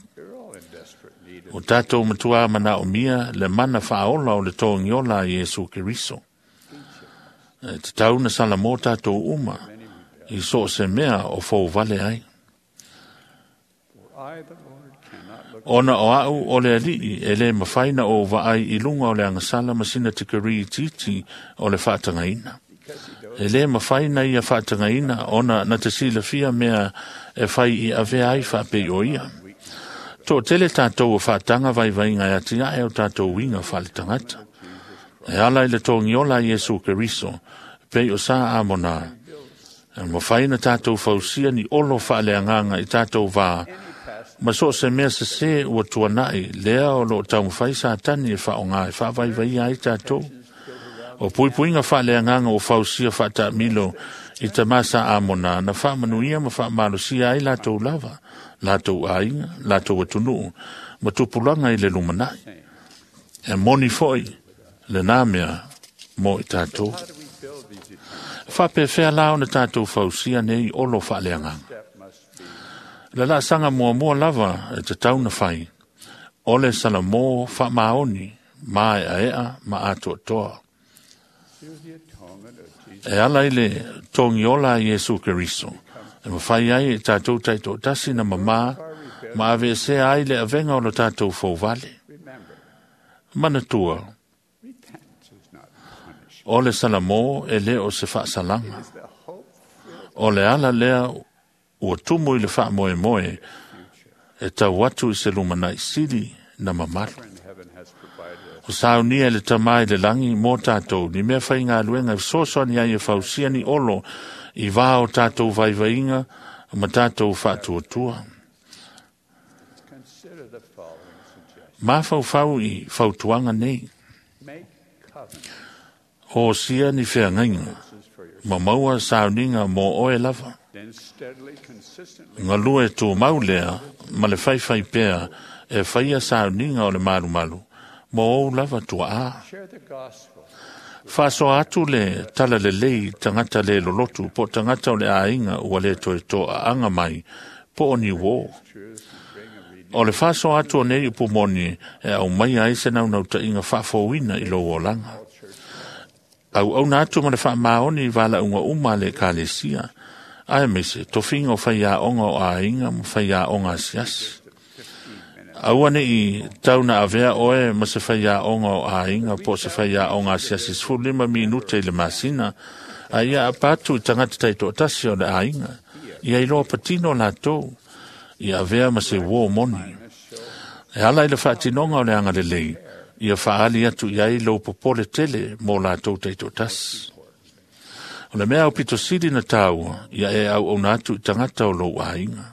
O tatou matuā manaomia le mana faaola o le togiola a Iesu Keriso. E tatau na Salamo tatou uma i so o se mea o fouvale ai. Ona o a'u o le Alii e lē mafai na ou vaai i luga o le agasala ma sina tikeri itiiti o le faatagaina. E lē mafai na ia faatagaina ona na te silafia mea e fai i avea ai faapei o ia. Toʻatele tatou o faataga vaivaiga e atiaʻe o tatou uiga faaletagata. E ala i le togiola a Iesu Keriso, pei o sa amonā, e mafai na tatou fausia ni olo faaleagaga i tatou vā, ma so o se mea sesē ua tuana'i lea o loo taumafai Satani e faaaogā e faavaivaia ai tatou. O puipuiga faaleagaga ua fausia faataamilo i tamā sa amonā na faamanuia ma faamalosia ai latou lava, latou aiga, latou atunuu, ma tupulaga i le lumanai. E moni fo'i lenā mea mo i tatou. E faapefea la ona tatou fausia nei olo faaleagaga. Le laasaga muamua lava e tatau na fai, o le salamo faamaoni maeaea ma atoatoa. E ala i le togiola a Iesu Keriso, e mafai ai e tatou taitoatasi na mamā ma aveesea ai le avega o lo tatou fouvale. Manatua, o le salamo e le o se faasalaga. O le ala lea ua tumu i le faamoemoe e tau atu i se lumanai sili na mamalu. O saunia e le tamā i le lagi mo tatou ni mea faigaluega e fesoasoani ai e fausia ni olo i vā o tatou vaivaiga ma tatou faatuatua. Mafaufau i fautuaga nei. Osia ni feagaiga ma maua sauniga mo oe lava. Galue tumau lea ma le faifai pea e faia sauniga o le malumalu mo ou lava tuaa. Faasoa atu le tala lelei tagata le lolotu po o tagata o le aiga ua le toe toaaga mai po o ni uō. O le faasoa atu o nei upu moni e aumaia ai se naunautaiga faafouina i lou olaga. Auauna atu ma le faamaoni i valaauga uma a le ekalesia, aemaise tofiga o faiaoga o aiga ma faiaoga asiasi. Aua neʻi tau na avea oe ma se faiaoga o aiga po o se faiaoga asiasi 15 minute i le masina, a ia aapa atu i tagata taitoatasi o le aiga, ia iloa patino latou, ia avea ma se uō moni. E ala i le faatinoga o le agalelei, ia faaali atu i ai lou popole tele mo latou taitoatasi. O le mea aupito sili na tāua, ia e auauna atu i tagata o lou aiga.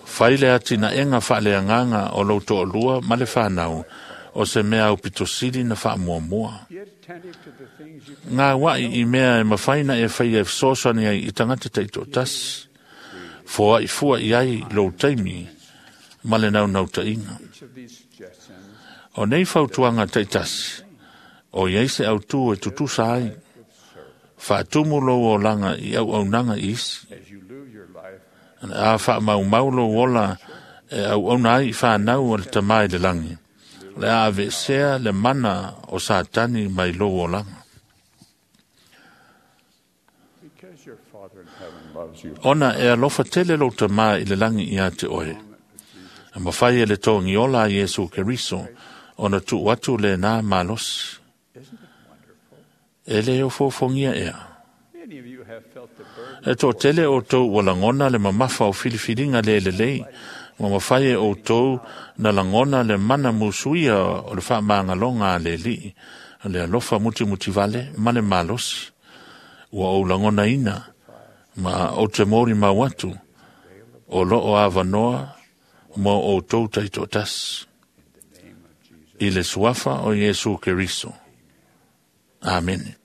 Fai le atinaega faaleagaga o lou toalua ma le fanau o se mea aupito sili na faamuamua. Gauai i mea e mafai na e faia e fesoasoani ai i tagata taitoatasi. Foai fua i ai lou taimi ma le naunautaiga. O nei fautuaga taitasi, o i ai se autū e tutusa ai. Faatumu lou olaga i auaunaga i isi. A faamaumau lou ola e auauna ai i fanau o le tamā i le lagi, o le a aveesea le mana o Satani mai lou olaga. Ona e alofa tele lou tamā i le lagi ia te oe. E mafai e le togiola a Iesu Keriso ona tuu atu lenā malosi. E le ofoofogia ea. E toatele outou ua lagona le mamafa o filifiliga le lelei, ma mafai e outou na lagona le mana musuia o le faamagaloga a le Alii, le alofa mutimutivale ma le malosi. Ua ou lagonaina ma ou te molimau atu o loo avanoa mo outou taitoatasi. I le suafa o Iesu Keriso. Amene.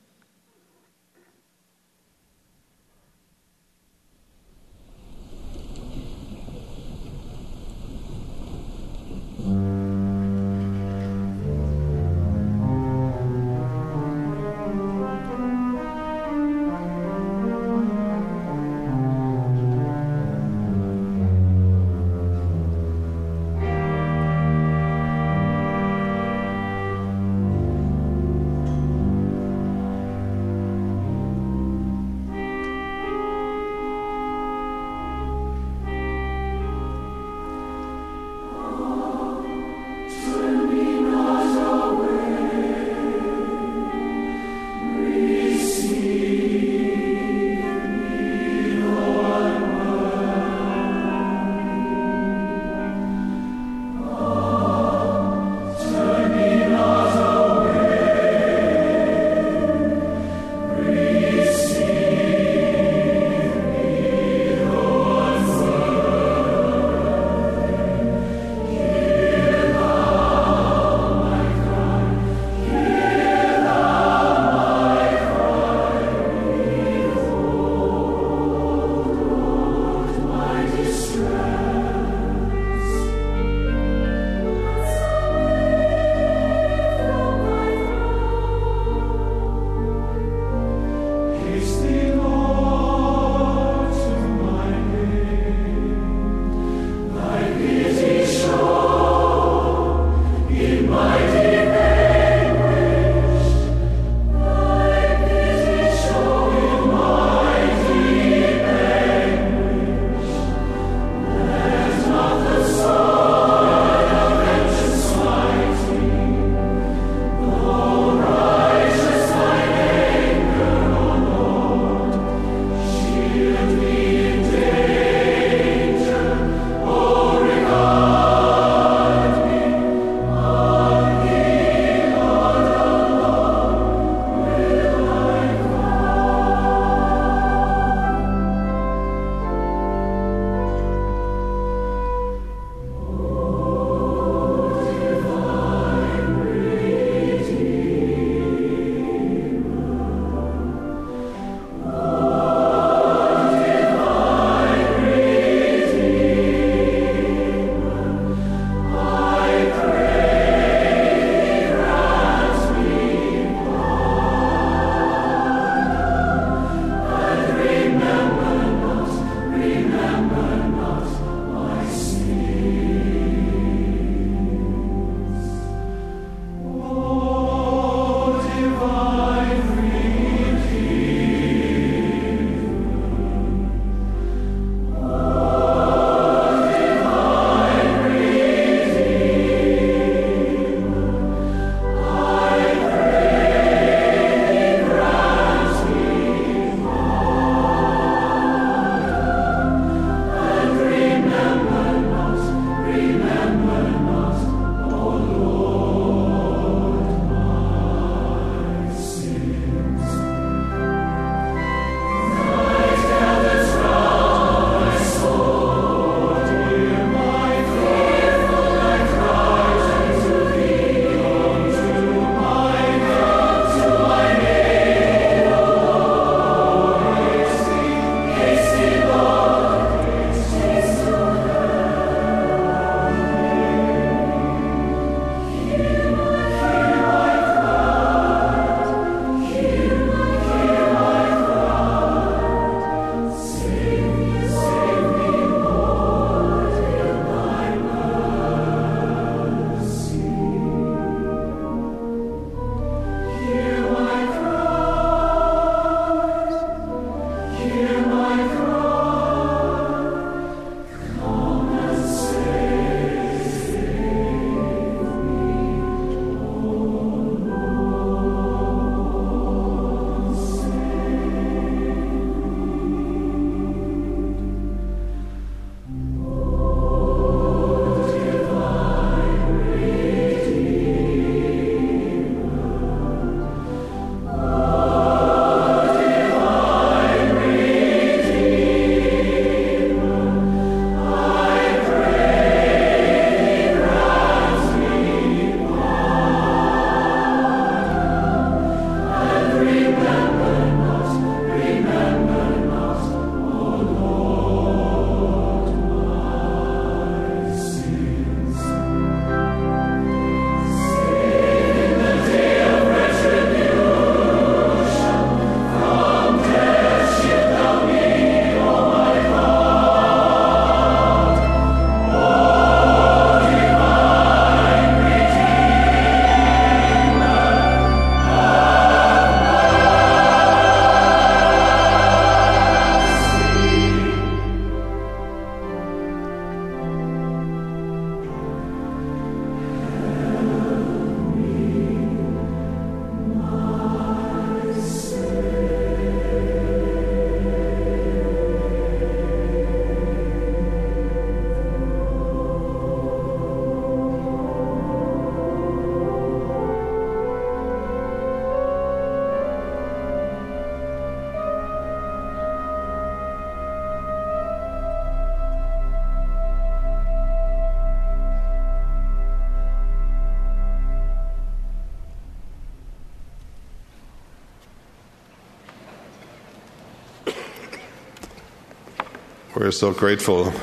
We're so grateful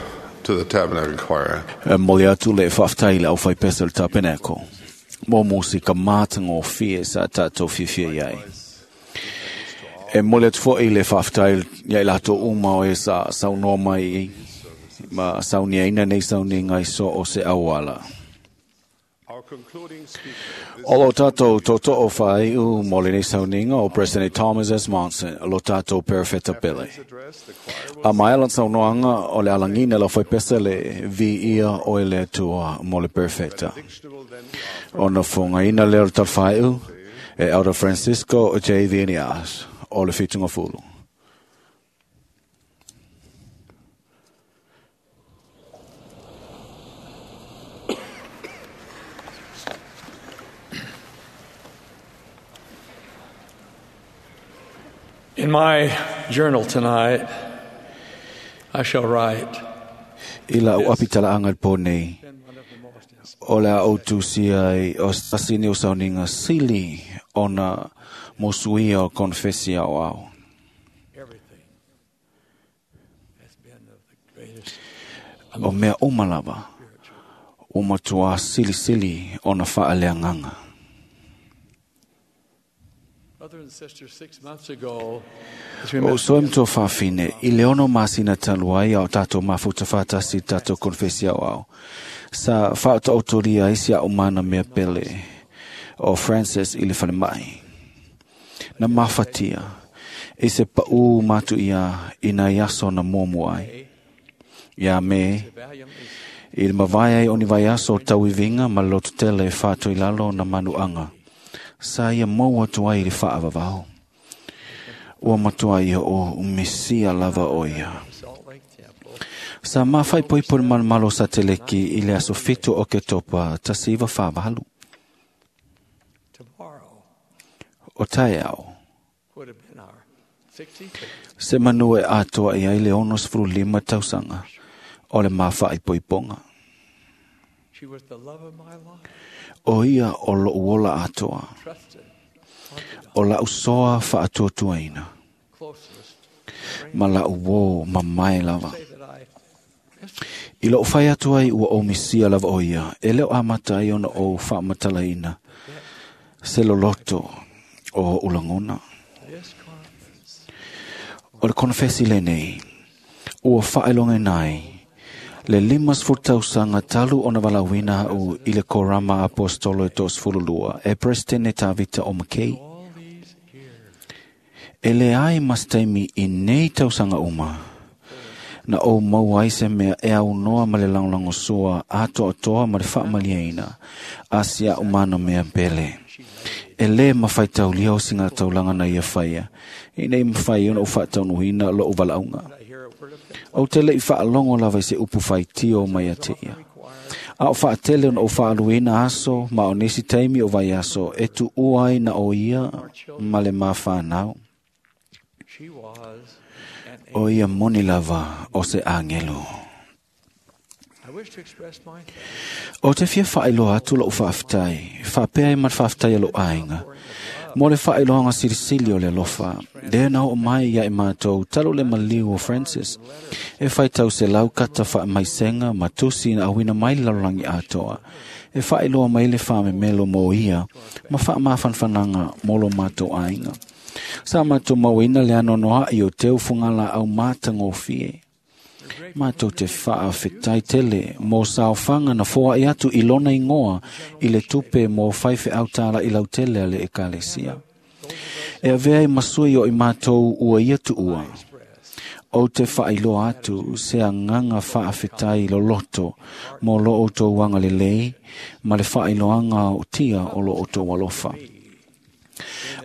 to the Tabernacle Choir. Mole atu le whaaftai le au whai pesa le tapenako. Mō mō ka mātanga o fie sa tātou whiwhia iai. E mole atu fo i le whaaftai iai lātou uma o e sa saunoa mai ma saunia ina nei saunia ngai so o se awala. O lo tātou toto o whai u mole nei sauninga o President Thomas S. Monson, lo tātou perfeta pele. A mai alan saunoanga o le alangina la whaipesa le vi ia o ele tua mole perfecta. O na fonga ina leo talwhai u e Elder Francisco J. Vinias o le fitunga fulu. In my journal tonight, I shall write. Ila o apitala angal po nei. O le au tusia ai o sasini o sauninga sili ona mosuia o confesia o au. O mea umalava, o matua sili sili ona whaaleanganga. O soe mtoa whawhine, i le ono masina taluai au tātou mafuta whātasi tātou konfesia o au. Sa whaota otoria isi a umana mea pele o Francis i le whalemai. Na mawhatia, i se pau matu ia i nā iaso na momu ai. Ia me, i le mawai ai oni vai aso tauivinga ma lotu tele whātoi lalo na manuanga. Sa ia mau atu ai i le whaavavao. Ua matua ia o umesia lava o ia. Sa mawhai poipori malmalo sa teleki i le aso fitu o ke topa tasiva whavalu. O tae au. Se manu e atoa i ai le 65 tausanga o le mawhai poiponga. O ia o lo uola atoa. O la usoa whaatuatuaina. Ma la uo mamae lava. I lo whai atu ai ua o misia lava o ia, e leo amata ai ona o whaamatalaina. Se loloto o ulangona. O le konfesi le nei, ua whaelonge nai, le 50 tausanga talu ona walawina au i le korama apostolo e 32, e presidente Tavita o McKay. E le ai mas taimi i nei tausanga uma. Na o mau ai se mea e au noa ma le langlango sua atoa atoa ma le whaamaliaina. Asia umana mea pele. E le mawhai taulia o singa taulanga na ia whaia. I nei mawhai ona o whaataunuhina lo o walaunga. O te lei whaalongo lava i se upu whai tio mai a te ia. A o whaatele ona o whaaluina aso ma o nisi taimi o vai aso e tu uai na o ia ma le mawhanau. O ia moni lava o se angelo. O te fia whaeloa atu lo whaaftai, whaapea i mat whaaftai alo ainga. Mo le whaeloanga sirisili o le alofa, le na o mai ia i mātou talo le maliu o Francis. E whaitau se laukata whaamaisenga matusi na awina mai lalolangi atoa. E whaeloa mai le whaamemelo mo ia, ma whaamawhanwhananga mo lo mātou ainga. Sa mātou mauina le anonoa i o teu fungala au mātangofie. Mātou te whaawhetai tele mō saofanga na foa i atu i lona ingoa i le tupe mō whaiwhe autala i lautele ale e kalesia. E avea i masui o i mātou ua ia tu ua. O te whailoa atu se anganga whaawhetai loloto mō lo o tō wanga le lei ma le whailoanga o tia o lo o tō walofa.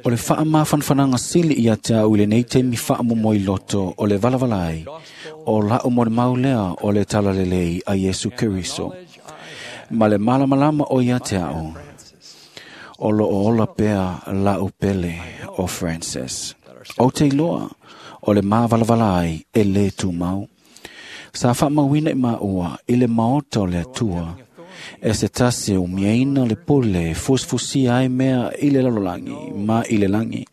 O le whaamawhanwhananga sili ia te au i le nei te mi whaamomoi loto o le valavalai o la o mo le maulea o le talalelei a Yesu Keriso. Ma le malamalama o ia te au o lo o ola pea la upele o Francis. O te iloa o le mawalavalai e le tūmau. Sa whaamawina i maua i le maota o le atua. E se tasi o miaina le pole fusfusia ai mea i le lalolangi ma i le langi.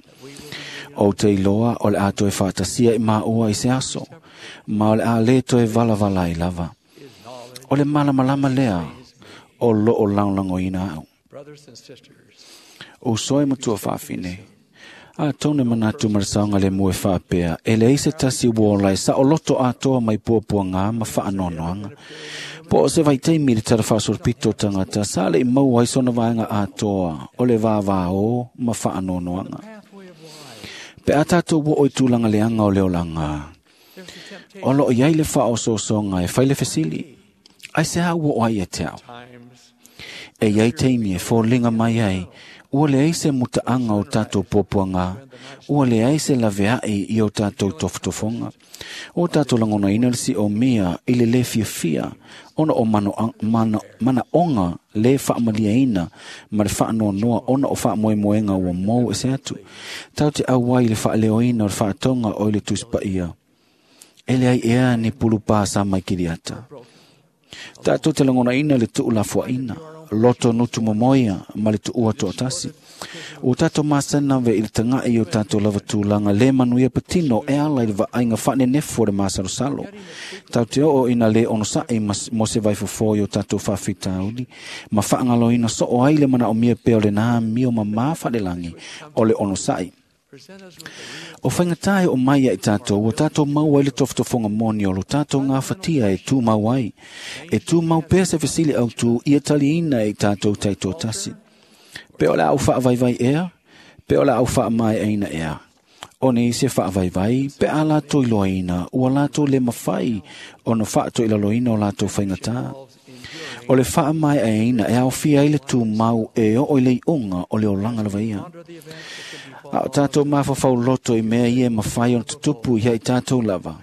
O te iloa o le a toe whaatasia i maa i se aso, ma o le a le toe valavala i lava. O le malamalama lea o loo lagoalagoina au. O soe matua faafine, a tone manatu ma le saoga le mue faapea, e leai se tasi ua ola e saoloto atoa mai puapuaga ma faanoanoaga. Po o se vaitaimi le tala faasolopito o tagata sa le i maua ai sona vaega atoa o le vāvāō ma faanoanoaga. Pe a tātou o i tūlanga leanga o le olanga, o loo iai le faaosoosoga e fai le fesili, ai se a ua o ai e te ao. E iai taimi e foliga mai ai, ua leai se mutaaga o tātou puapuaga, ua leai se laveai i o tātou tofotofoga. O tātou lagonaina le siomia i le lē fiafia, ona o manaoga lē faamaliaina ma le faanoanoa ona o faamoemoega ua mou e se atu. Tatou te auai i le faaleoina o le faatoga o i le Tusi Paia. E leai ea ni pulupā sa mai kiliata. Tatou te lagonaina le tuulafoaina, loto nutu momoia ma le tuua toatasi. O tātou masana ve i le tagai o tātou lava tulaga le manuia patino e ala i le vaaiga faanenefu o le masalosalo. Tau te oo ina le onosaʻi mo se vaifofo i o tātou faafitauli, ma faagaloina soo ai le manaomia pea o lenā mio mamā faalelagi o le onosaʻi. O faigata e o mai ai tātou, o tātou mau ai le tofotofoga moni o lo tātou ngāwhatia e tūmau ai. E tūmau pea se fesili au tū ia taliina e tātou taitoatasi. Pe o le au faavaivai ea, pe o le au faamaeaina ea. O nei se faavaivai, pe a lātou iloaina, ua lātou le mawhai o na faatoilaloina o lātou faigata. O le faamaeaina e aofia ai le tūmau e oo i le iuga o le olaga lava ia. A o tātou mafafau loto i mea ia e mawhai o tutupu ia i tātou lava.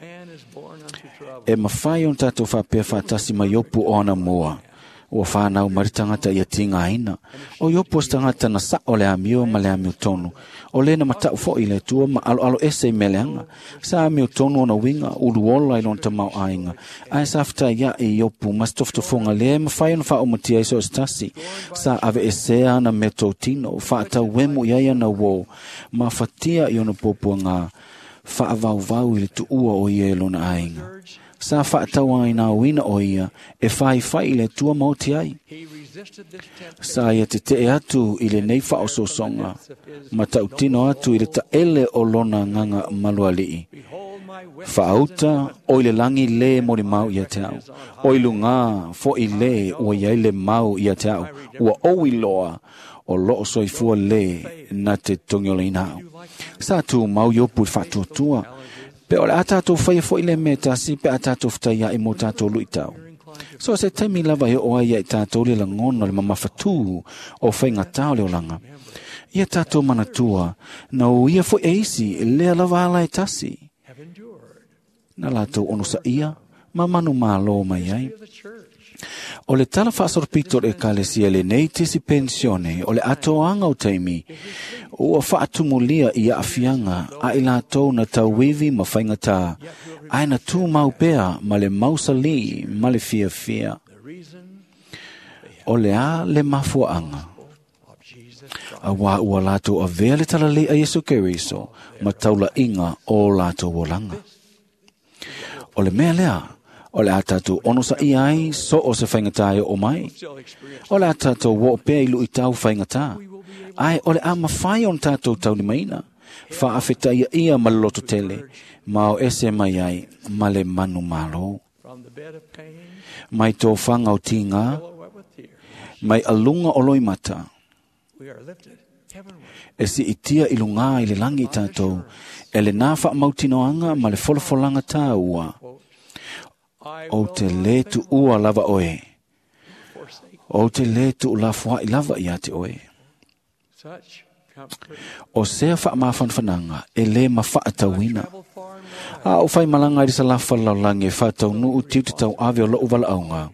E mawhai o tātou whapea whaatasi mai opu o ana mua. Ua whānau mai le tagata ia tigaina. O Iopu o se tagata na sao le amio ma le amio tonu. O lena matau foi i le Atua ma aloalo ese i mea leaga. Sa amio tonu ona uiga, uluola i lona tamaoaiga. Ae sa fetaiaʻi i Iopu ma se tofotofoga lea e mafai ona faaʻumatia ai so o se tasi. Sa aveesea ana mea totino, faatauemu i ai ana uō, ma fatia i ona puapuaga, faavauvau i le tuua o ia e lona aiga. Sa faatauainaoina o ia e faifai i le Atua ma oti ai. Sa ia tetee atu i lenei faaosoosoga, ma tautino atu i le taele o lona agaga malualii. Faauta o i le lagi lē molimau ia te au. O i lugā foʻi lē ua iai le mau ia te au. Ua ou iloa o loo soifua lē na te togiolaina au. Sa tumau Iopu i le faatuatua. Pe o le a tātou faia foʻi le mea tasi pe a tātou fetaiaʻi mo tātou luʻitau. So se taimi lava e oo ai ia i tātou le lagona o le mamafatū o faigatā o le olaga. Ia tātou manatua, na o ia foʻi e isi lea lava ala e tasi. Na latou onosaʻia ma manu mālō mai ai. O le tala faasolopito o le ekalesia lenei tisi pensione o le atoaga o taimi ua faatumulia i aafiaga a i latou na tauivi ma faigatā, ae na tumau pea ma le mausalī ma le fiafia. O le a le mafuaaga? Auā ua latou avea le talalei a Iesu Keriso ma taulaiga o latou olaga. O le mea lea, o le a tātou onosaʻia ai so o se faigata e oo mai. O le a tātou oo pea i luʻitau faigata. Ae o le a mafai ona tātou taulimaina. Faafetaia ia ma le loto tele, ma o ese mai ai ma le manu malo. Mai tofaga o tigā, mai aluga o loimata. E siitia i lugā i le lagi i tātou, e lenā faamautinoaga ma le folafolaga tāua. Ou te lē tuua lava oe. Ou te lē tuulafoaʻi lava iā te oe. O sea faamafanafanaga e lē mafaatauina. A o faimalaga i le salafa lalolagi e faataunuu tiute tauave o loʻu valaauga.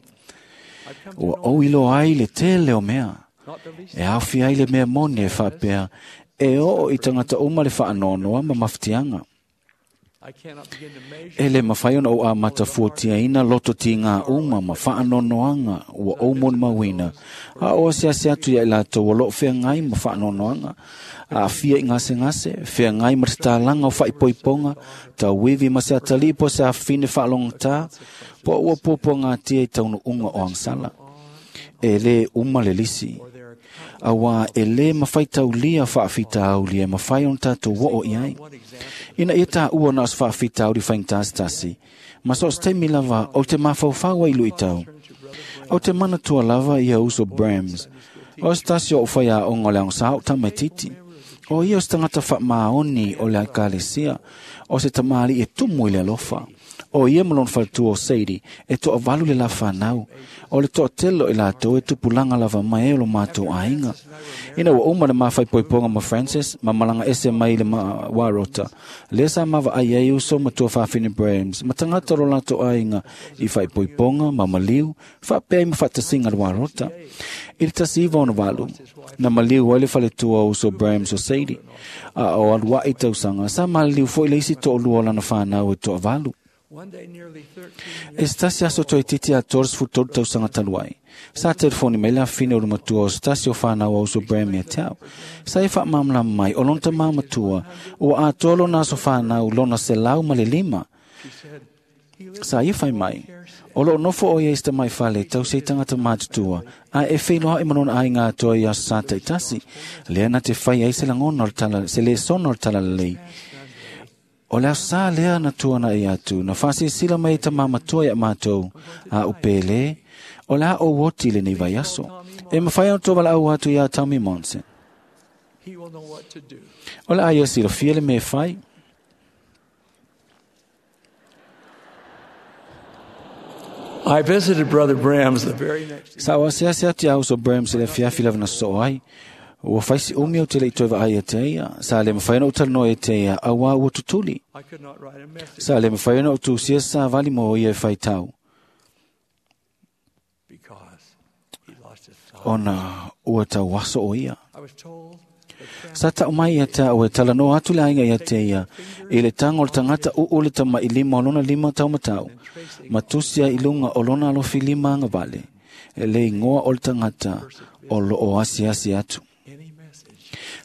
Ua ou iloa ai le tele o mea. E aofia ai le mea moni e faapea e oo i tagata uma le faanoanoa ma mafatiaga. E le mawhai ona o a matafuatiaina loto ti ngā uma ma whaanonoanga ua o moni mawina. A o ase ase atu ia i lātou o loo whea ngai ma whaanonoanga. A fia i ngase ngase, whea ngai ma te tālanga o whaipoiponga, ta wivi ma se atali po se awhine whaalongata, po ua popo ngā tia i taunu unga o angsala. E le uma le lisi. Awa e le mawhai taulia whaafitaulia mawhai on tātou woo i ai. Ina ia tā ua na os whaafitauri whaingtasi. Ma so te mi lava o te mawhauwhaua i lui tau. O te mana tua lava ia uso Brahms. O stasi o whaia o ngole ang sao tamatiti. O ia o tangata wha maoni o le aikalesia. O se tamali e tumu i le alofa. O ia malon faltua o Sadie, e toa valu le la whanau. O le toa telo i lātou e tupulanga lava mai e o lo mātou ainga. Ina ua uma le mawhai poiponga ma Francis, ma malanga ese mai le ma warota. Le sa mawa ai ai uso ma tua whawhine Brahms, ma tangata ro lātou ainga i whai poiponga, ma maliu, whapea i ma whatasinga le warota. I le tasi iwa ona walu, na maliu ai le faletua uso Brahms o Sadie. A o alua i tausanga, sa maliu fo i le isi toa lua lana whanau e toa valu. E stasi aso toi titi a toros fu tolu tausanga taluai. Sa telefoni mai la fine o le matua o stasi o whanau au so Bram ia tau. Sa e wha mamla mai o lonta maa matua o a tolo na so whanau lona se lau ma le lima. Sa ia whai mai. O lo nofo o ia ista mai whale tau se tangata mātutua. A e whailoa i manona ai ngā toa ia sa taitasi. Lea na te whai ai se langona o le tala, se le sono o le tala lelei. O lea sa lea na tuana i atu, na whasi sila mai ta mamatua ia mātou, a upele, o lea o woti le nei vai aso. E mawhai au tō wala au atu ia Tommy Monson. O lea ia sila fia le me whai. I visited Brother Brahms the very next Sa o ase ase atu au so Brahms le fiafi lava na so ai. Ua whaisi umi o te le i toiva ai e te ia. Sa le mawhai o talanoa e te ia, a wā ua tutuli. Sa le mawhai o tūsia sa vali mo ia e whai tau. Ona ua tau waso o ia. Sa tau mai ia te au e talanoa atu le ainga ia te ia. I le tango le tangata uu le tama i lima o lona lima tau matau. Matusia i lunga o lona alofi lima anga vale. E le ingoa o le tangata o lo o asi asi atu.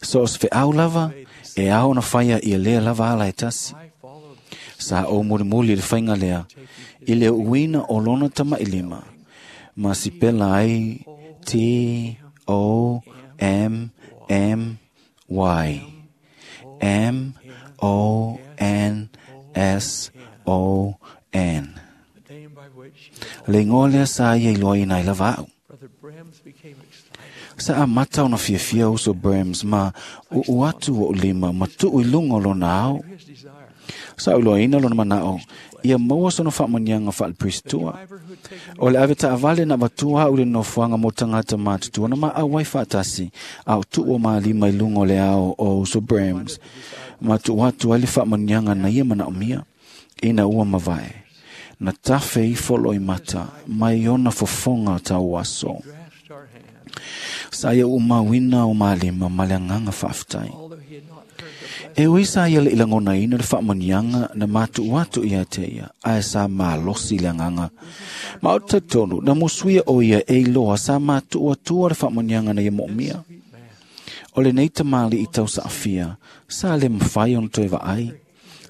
So os fe au lava, e ao na whaia i lea lava ala e tasi. Sa o muri muri le whainga lea, i le uina o lona tama i lima. Ma si pela ai T O M M Y M O N S O N. Le ingoa lea sa ia i loa ina i lava au. Sa a mata ona fiafia uso Brahms ma uu atu o lima ma tuu i lunga o lona au. Sa uloa ina lona manao, ia maua sono whaamanianga whaalipristitua. O le ave taavale na vatua au le nofuanga mo tangata mātutua na ma au wai whaatasi au tuu o maa lima i lunga o le ao o uso Brahms. Ma tuu atu ai le whaamanianga na ia manao mia, ina ua mavae. Na tafe i folo i mata, mai ona fofonga tau aso. Sa ia umawina o malima maleanganga whaaftai. E ui sa ia le ilangona ina le whaamanianga na mātu atu ia te ia, ae sa mālosi le anganga. Ma o te tonu, na musuia o ia e iloa sa mātu atua le whaamanianga na ia moomia. O le nei tamali i tau saafia, sa le mwhai ona toi vaai,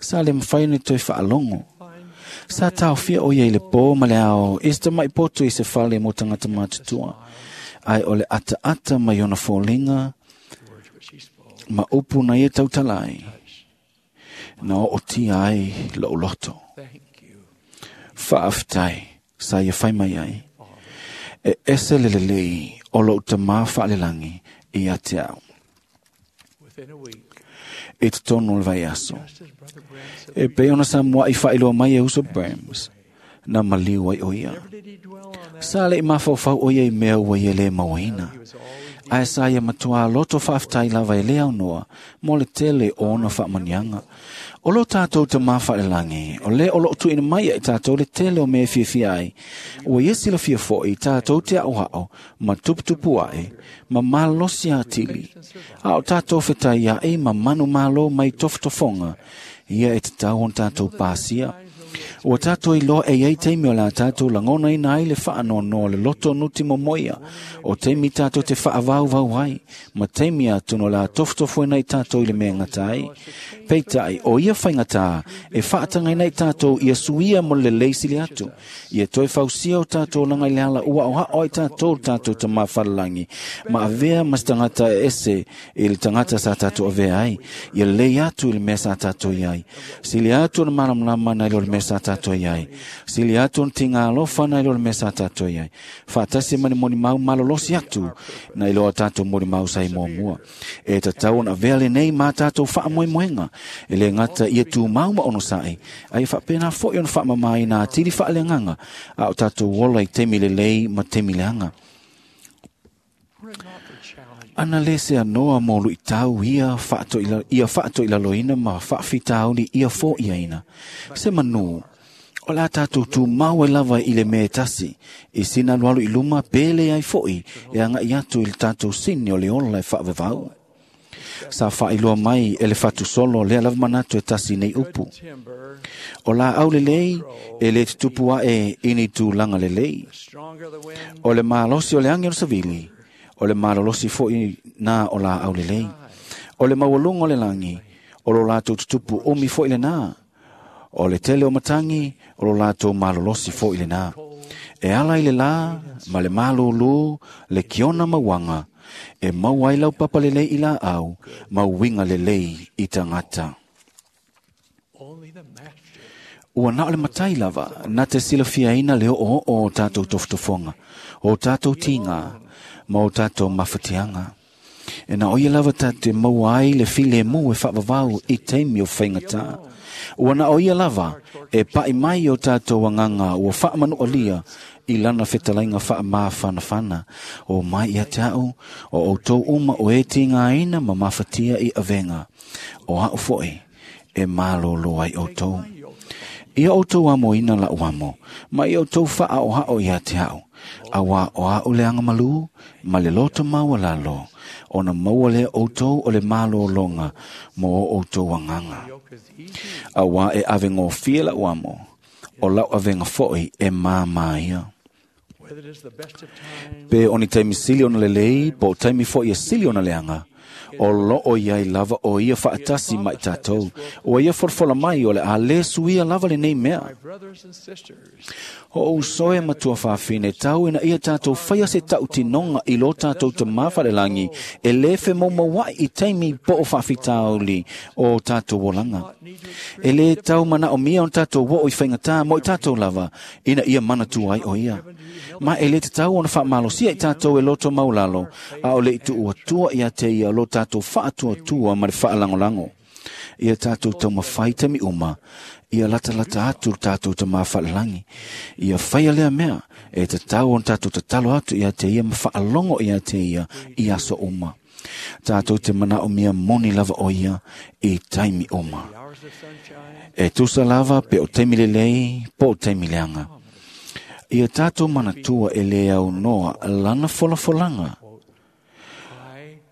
sa le mwhai ona toi whaalongo. Sa taofia o ia i le pō ma le ao, e sta mai poto i se whale mo tangata mātutua. Ai o le ata ata mai ona fōlinga, ma upu na ia tautalai, na o tia ai lo loto. Whaaftai, sa ia whai mai ai. E ese le lelei o lo uta mā whaalelangi i a te au. E te tono le vai aso. E pe ona sa mua i whailoa mai e uso Brahms, na maliu ai o ia. Sa le i mawhauwhau o ia i mea ua ia le mauaina. Ae sa ia matua loto whaaftai lava e lea noa, mo le tele o ona whaamanianga. O lo tātou te mawhaelangi, o le o lo tuina mai e tātou le tele o mea fiafia ai. Ua ia sila fia foi tātou te au hao, ma tuputupu ai, ma malosi atili. A o tātou whetai ia e ma manu malo mai tofotofonga, Ia e tatau ona tātou pasia. Ua tātou iloa e iai taimi o le a tātou lagonaina ai le faanoanoa o le loto nuti momoia, o taimi tātou te faavauvau ai, ma taimi atonu o le a tofutofuina i tātou i le mea e gata ai. Peitai, o ia faigata e faatagaina i tātou ia suia mo le lelei sili atu, ia toe fausia o tātou olaga i le ala ua aoao ai tātou le tātou Tamā Falelagi, ma avea ma se tagata e ese i le tagata sa tātou avea ai, ia lelei atu i le mea sa tātou i ai. Sili atu ona malamalama nai lo le mea sa tātou i ai. Sili atu ona tiga alofa nai lo le mea sa tātou i ai. Faatasi ma ni molimau malolosi atu nai lo a tātou molimau sa i muamua. E tatau ona avea lenei ma tātou faamoemoega. E le gata ia tumau ma onosai, a ia faapena foi ona faamamaina atili faaleagaga a o tātou ola i taimi lelei ma taimi leaga. Ana le se anoa mo luitau ia faatoilaloina ma faafitauli ia foiaina. Se manu, o le a tātou tumau ai lava i le mea e tasi, i sina alualu i luma pe le ai foi e agai atu i le tātou sini o le ola e faavavau. Sa faailoa mai e le fatusolo lea lava manatu e tasi nei upu. O laau lelei e le tutupu ae i ni tulaga lelei. O le malosi o le agi o le savili, o le malolosi foi na o laau lelei. O le maualuga o le lagi, o lo latou tutupu umi foi lena. O le tele o matagi, o lo latou malolosi foi lena. E ala i le la, ma le malūlū, le kiona mauaga, e maua ai laupapa lelei i laau, ma uiga lelei i tagata. Ua na o le matai lava, na te silafiaina le oooo o tātou tofotofoga, o tātou tiga, ma o tātou mafatiaga. E na o ia lava tātou te maua ai le filemu e faavavau i taimi o faigata. Ua na o ia lava e pa'i mai o tātou agaga ua faamanualia i lana fetalaiga faamafanafana. O mai ia te a'u, o outou uma o e tigaina ma mafatia i avega. O a'u foi e malōlō ai outou. Ia outou amoina la'u amo, ma ia outou faaoha'o ia te a'u. Auā o a'u le agamalū ma le loto maualalo, ona maua lea outou o le malōloga mo o outou agaga. Auā e avegofie la'u amo, o la'u avega foi e māmā ia. Pe o ni taimi sili ona lelei, po o taimi foi e sili ona leaga, o loo iai lava o ia faatasi ma i tātou. Ua ia folafola mai o le a le suia lava lenei mea. O uso e matua faafine tau ina ia tātou whaia se tautinoga i lo tātou te mawharelagi e le whemaumauai i taimi po o faafitauli o tātou olaga. E le tau mana o mia o tātou wo o i whaingatā mo i tātou lava ina ia manatu ai o ia. Ma e le te tau ona whaamalosia i tātou e loto maulalo a o le i tuu atua ia te ia lo tātou whaatuatua ma le whaalangolango. Ia tātou taumawhai taimi uma, ia latalata atu tātou te mawhalalangi. Ia whaia lea mea, e te tau on tātou tatalo atu ia te ia ma whaalongo ia te ia i aso uma. Tātou te mana o mia moni lava o ia i taimi uma. E tusa lava pe o taimi lelei, po o taimi leanga. Ia tātou manatua e le au noa lana folafolanga.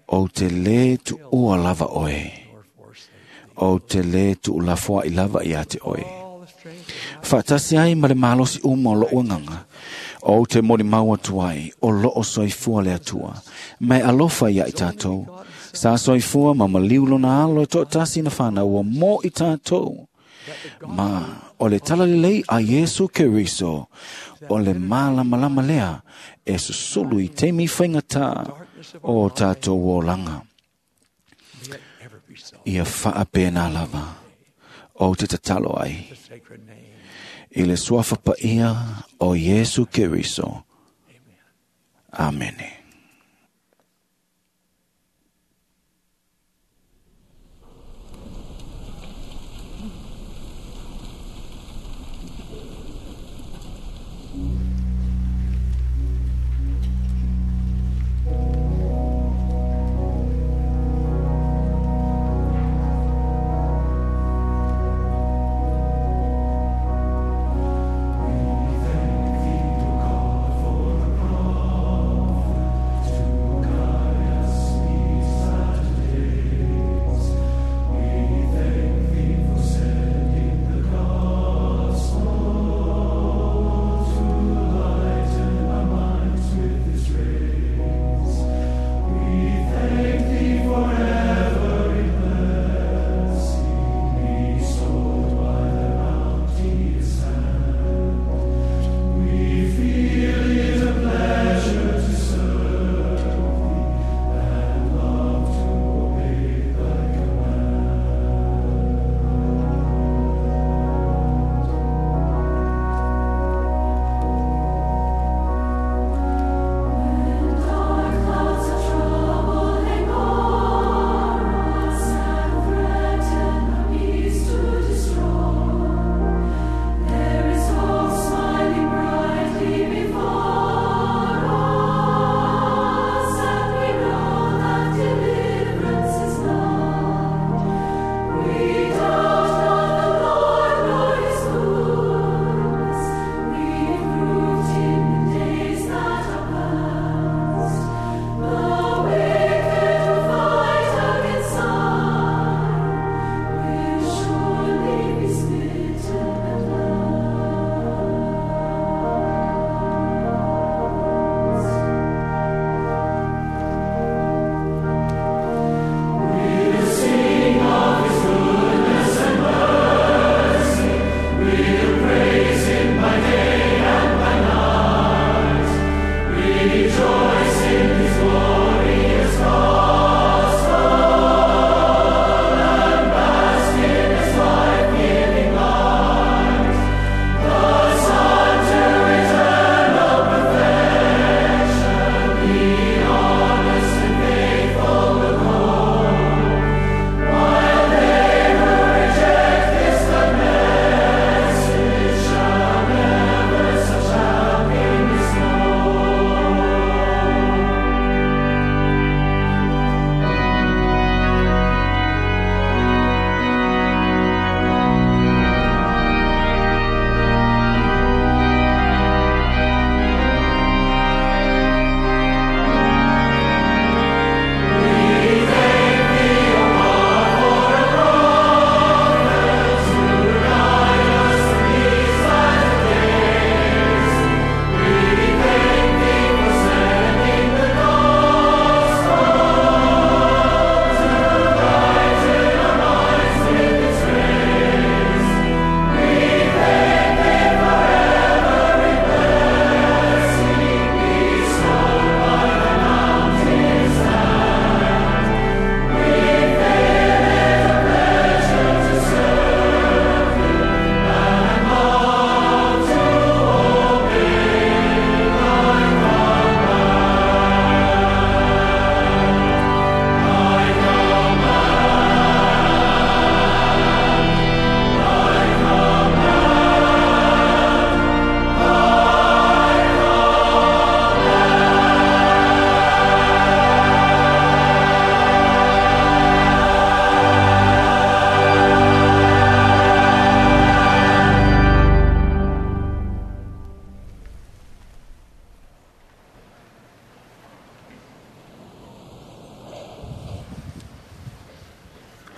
O te le tu ua lava oe. O te le tu ulafoa i lava ia te oe. Faatasi ai ma le malosi uma o loo agaga. O te molimau atu ai o loo soifua le Atua. Mai alofa ia i tātou. Sa soifua ma maliu lona alo e toatasi na whanau ua mo i tātou. Ma o le talalelei a Iesu Keriso, o le malamalama lea e susulu i taimi faigata o tātou olaga. Ia faapena lava o te tatalo ai i le suafa paia o Iesu Keriso. Amene. We thank thee, O God, for the prophet.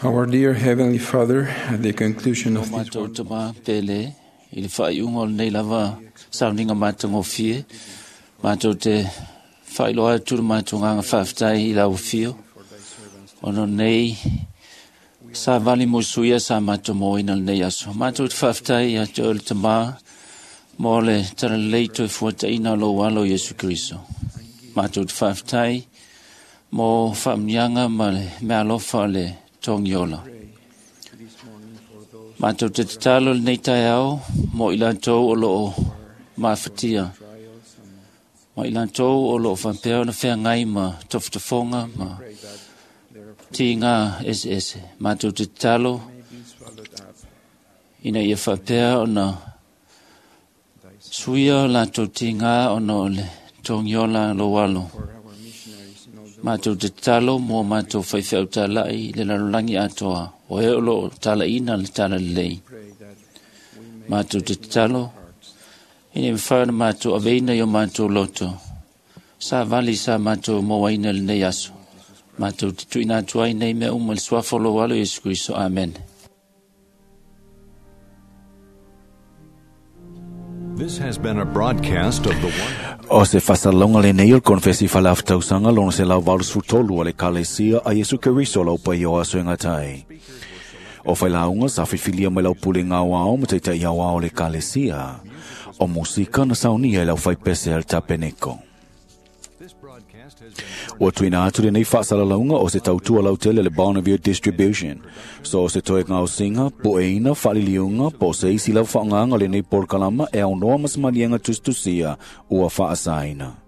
Our dear Heavenly Father, at the conclusion of this Matou tama pele i le faaiuga o lenei lava sauniga matagofie, matou te faailoa atu le matou agaga faafetai i lau afio, ona o lenei savali mo suia sa matou moaina lenei aso. Matou te faafetai ia te oe le Tamā mo le talalelei toe fuataina o lou alo Iesu Keriso. Matou te faafetai mo faamuniaga ma le meaalofa o le togiola. Matou te tatalo lenei taeao mo i latou o loo mafatia, ma i latou o loo faapea ona feagai ma tofotofoga ma tiga eseese. Matou te tatalo ina ia faapea ona suia o latou tiga ona o le togiola lou alo. Matou te tatalo mo matou faifeau talai i le lalolagi atoa, o e o loo talaina le talalelei. Matou te tatalo ina ia mafai ona matou aveina i o matou loto savali sa matou mauaina lenei aso. Matou te tuuina atu ai nei mea uma i le suafa o lou alo Iesu Keriso. Amene. This has been a broadcast of the O se faasalaga lenei o le konefesi faaleafa-tausaga lona 183 o le Ekalesia a Iesu Keriso lau paia o aso e gatai. O failauga sa filifilia mai lau pulega aoao ma taita'i aoao o le Ekalesia. O musika na saunia i lau faipese a le tapeneko. Ua tuuina atu lenei faasalalauga o se tautua lautele le Bonneville Distribution. So o se toe gaosiga, pueina, faaliliuga, po o se isi lava faaaogaga o lenei polokalama e aunoa ma se maliega tusitusia ua faasaina.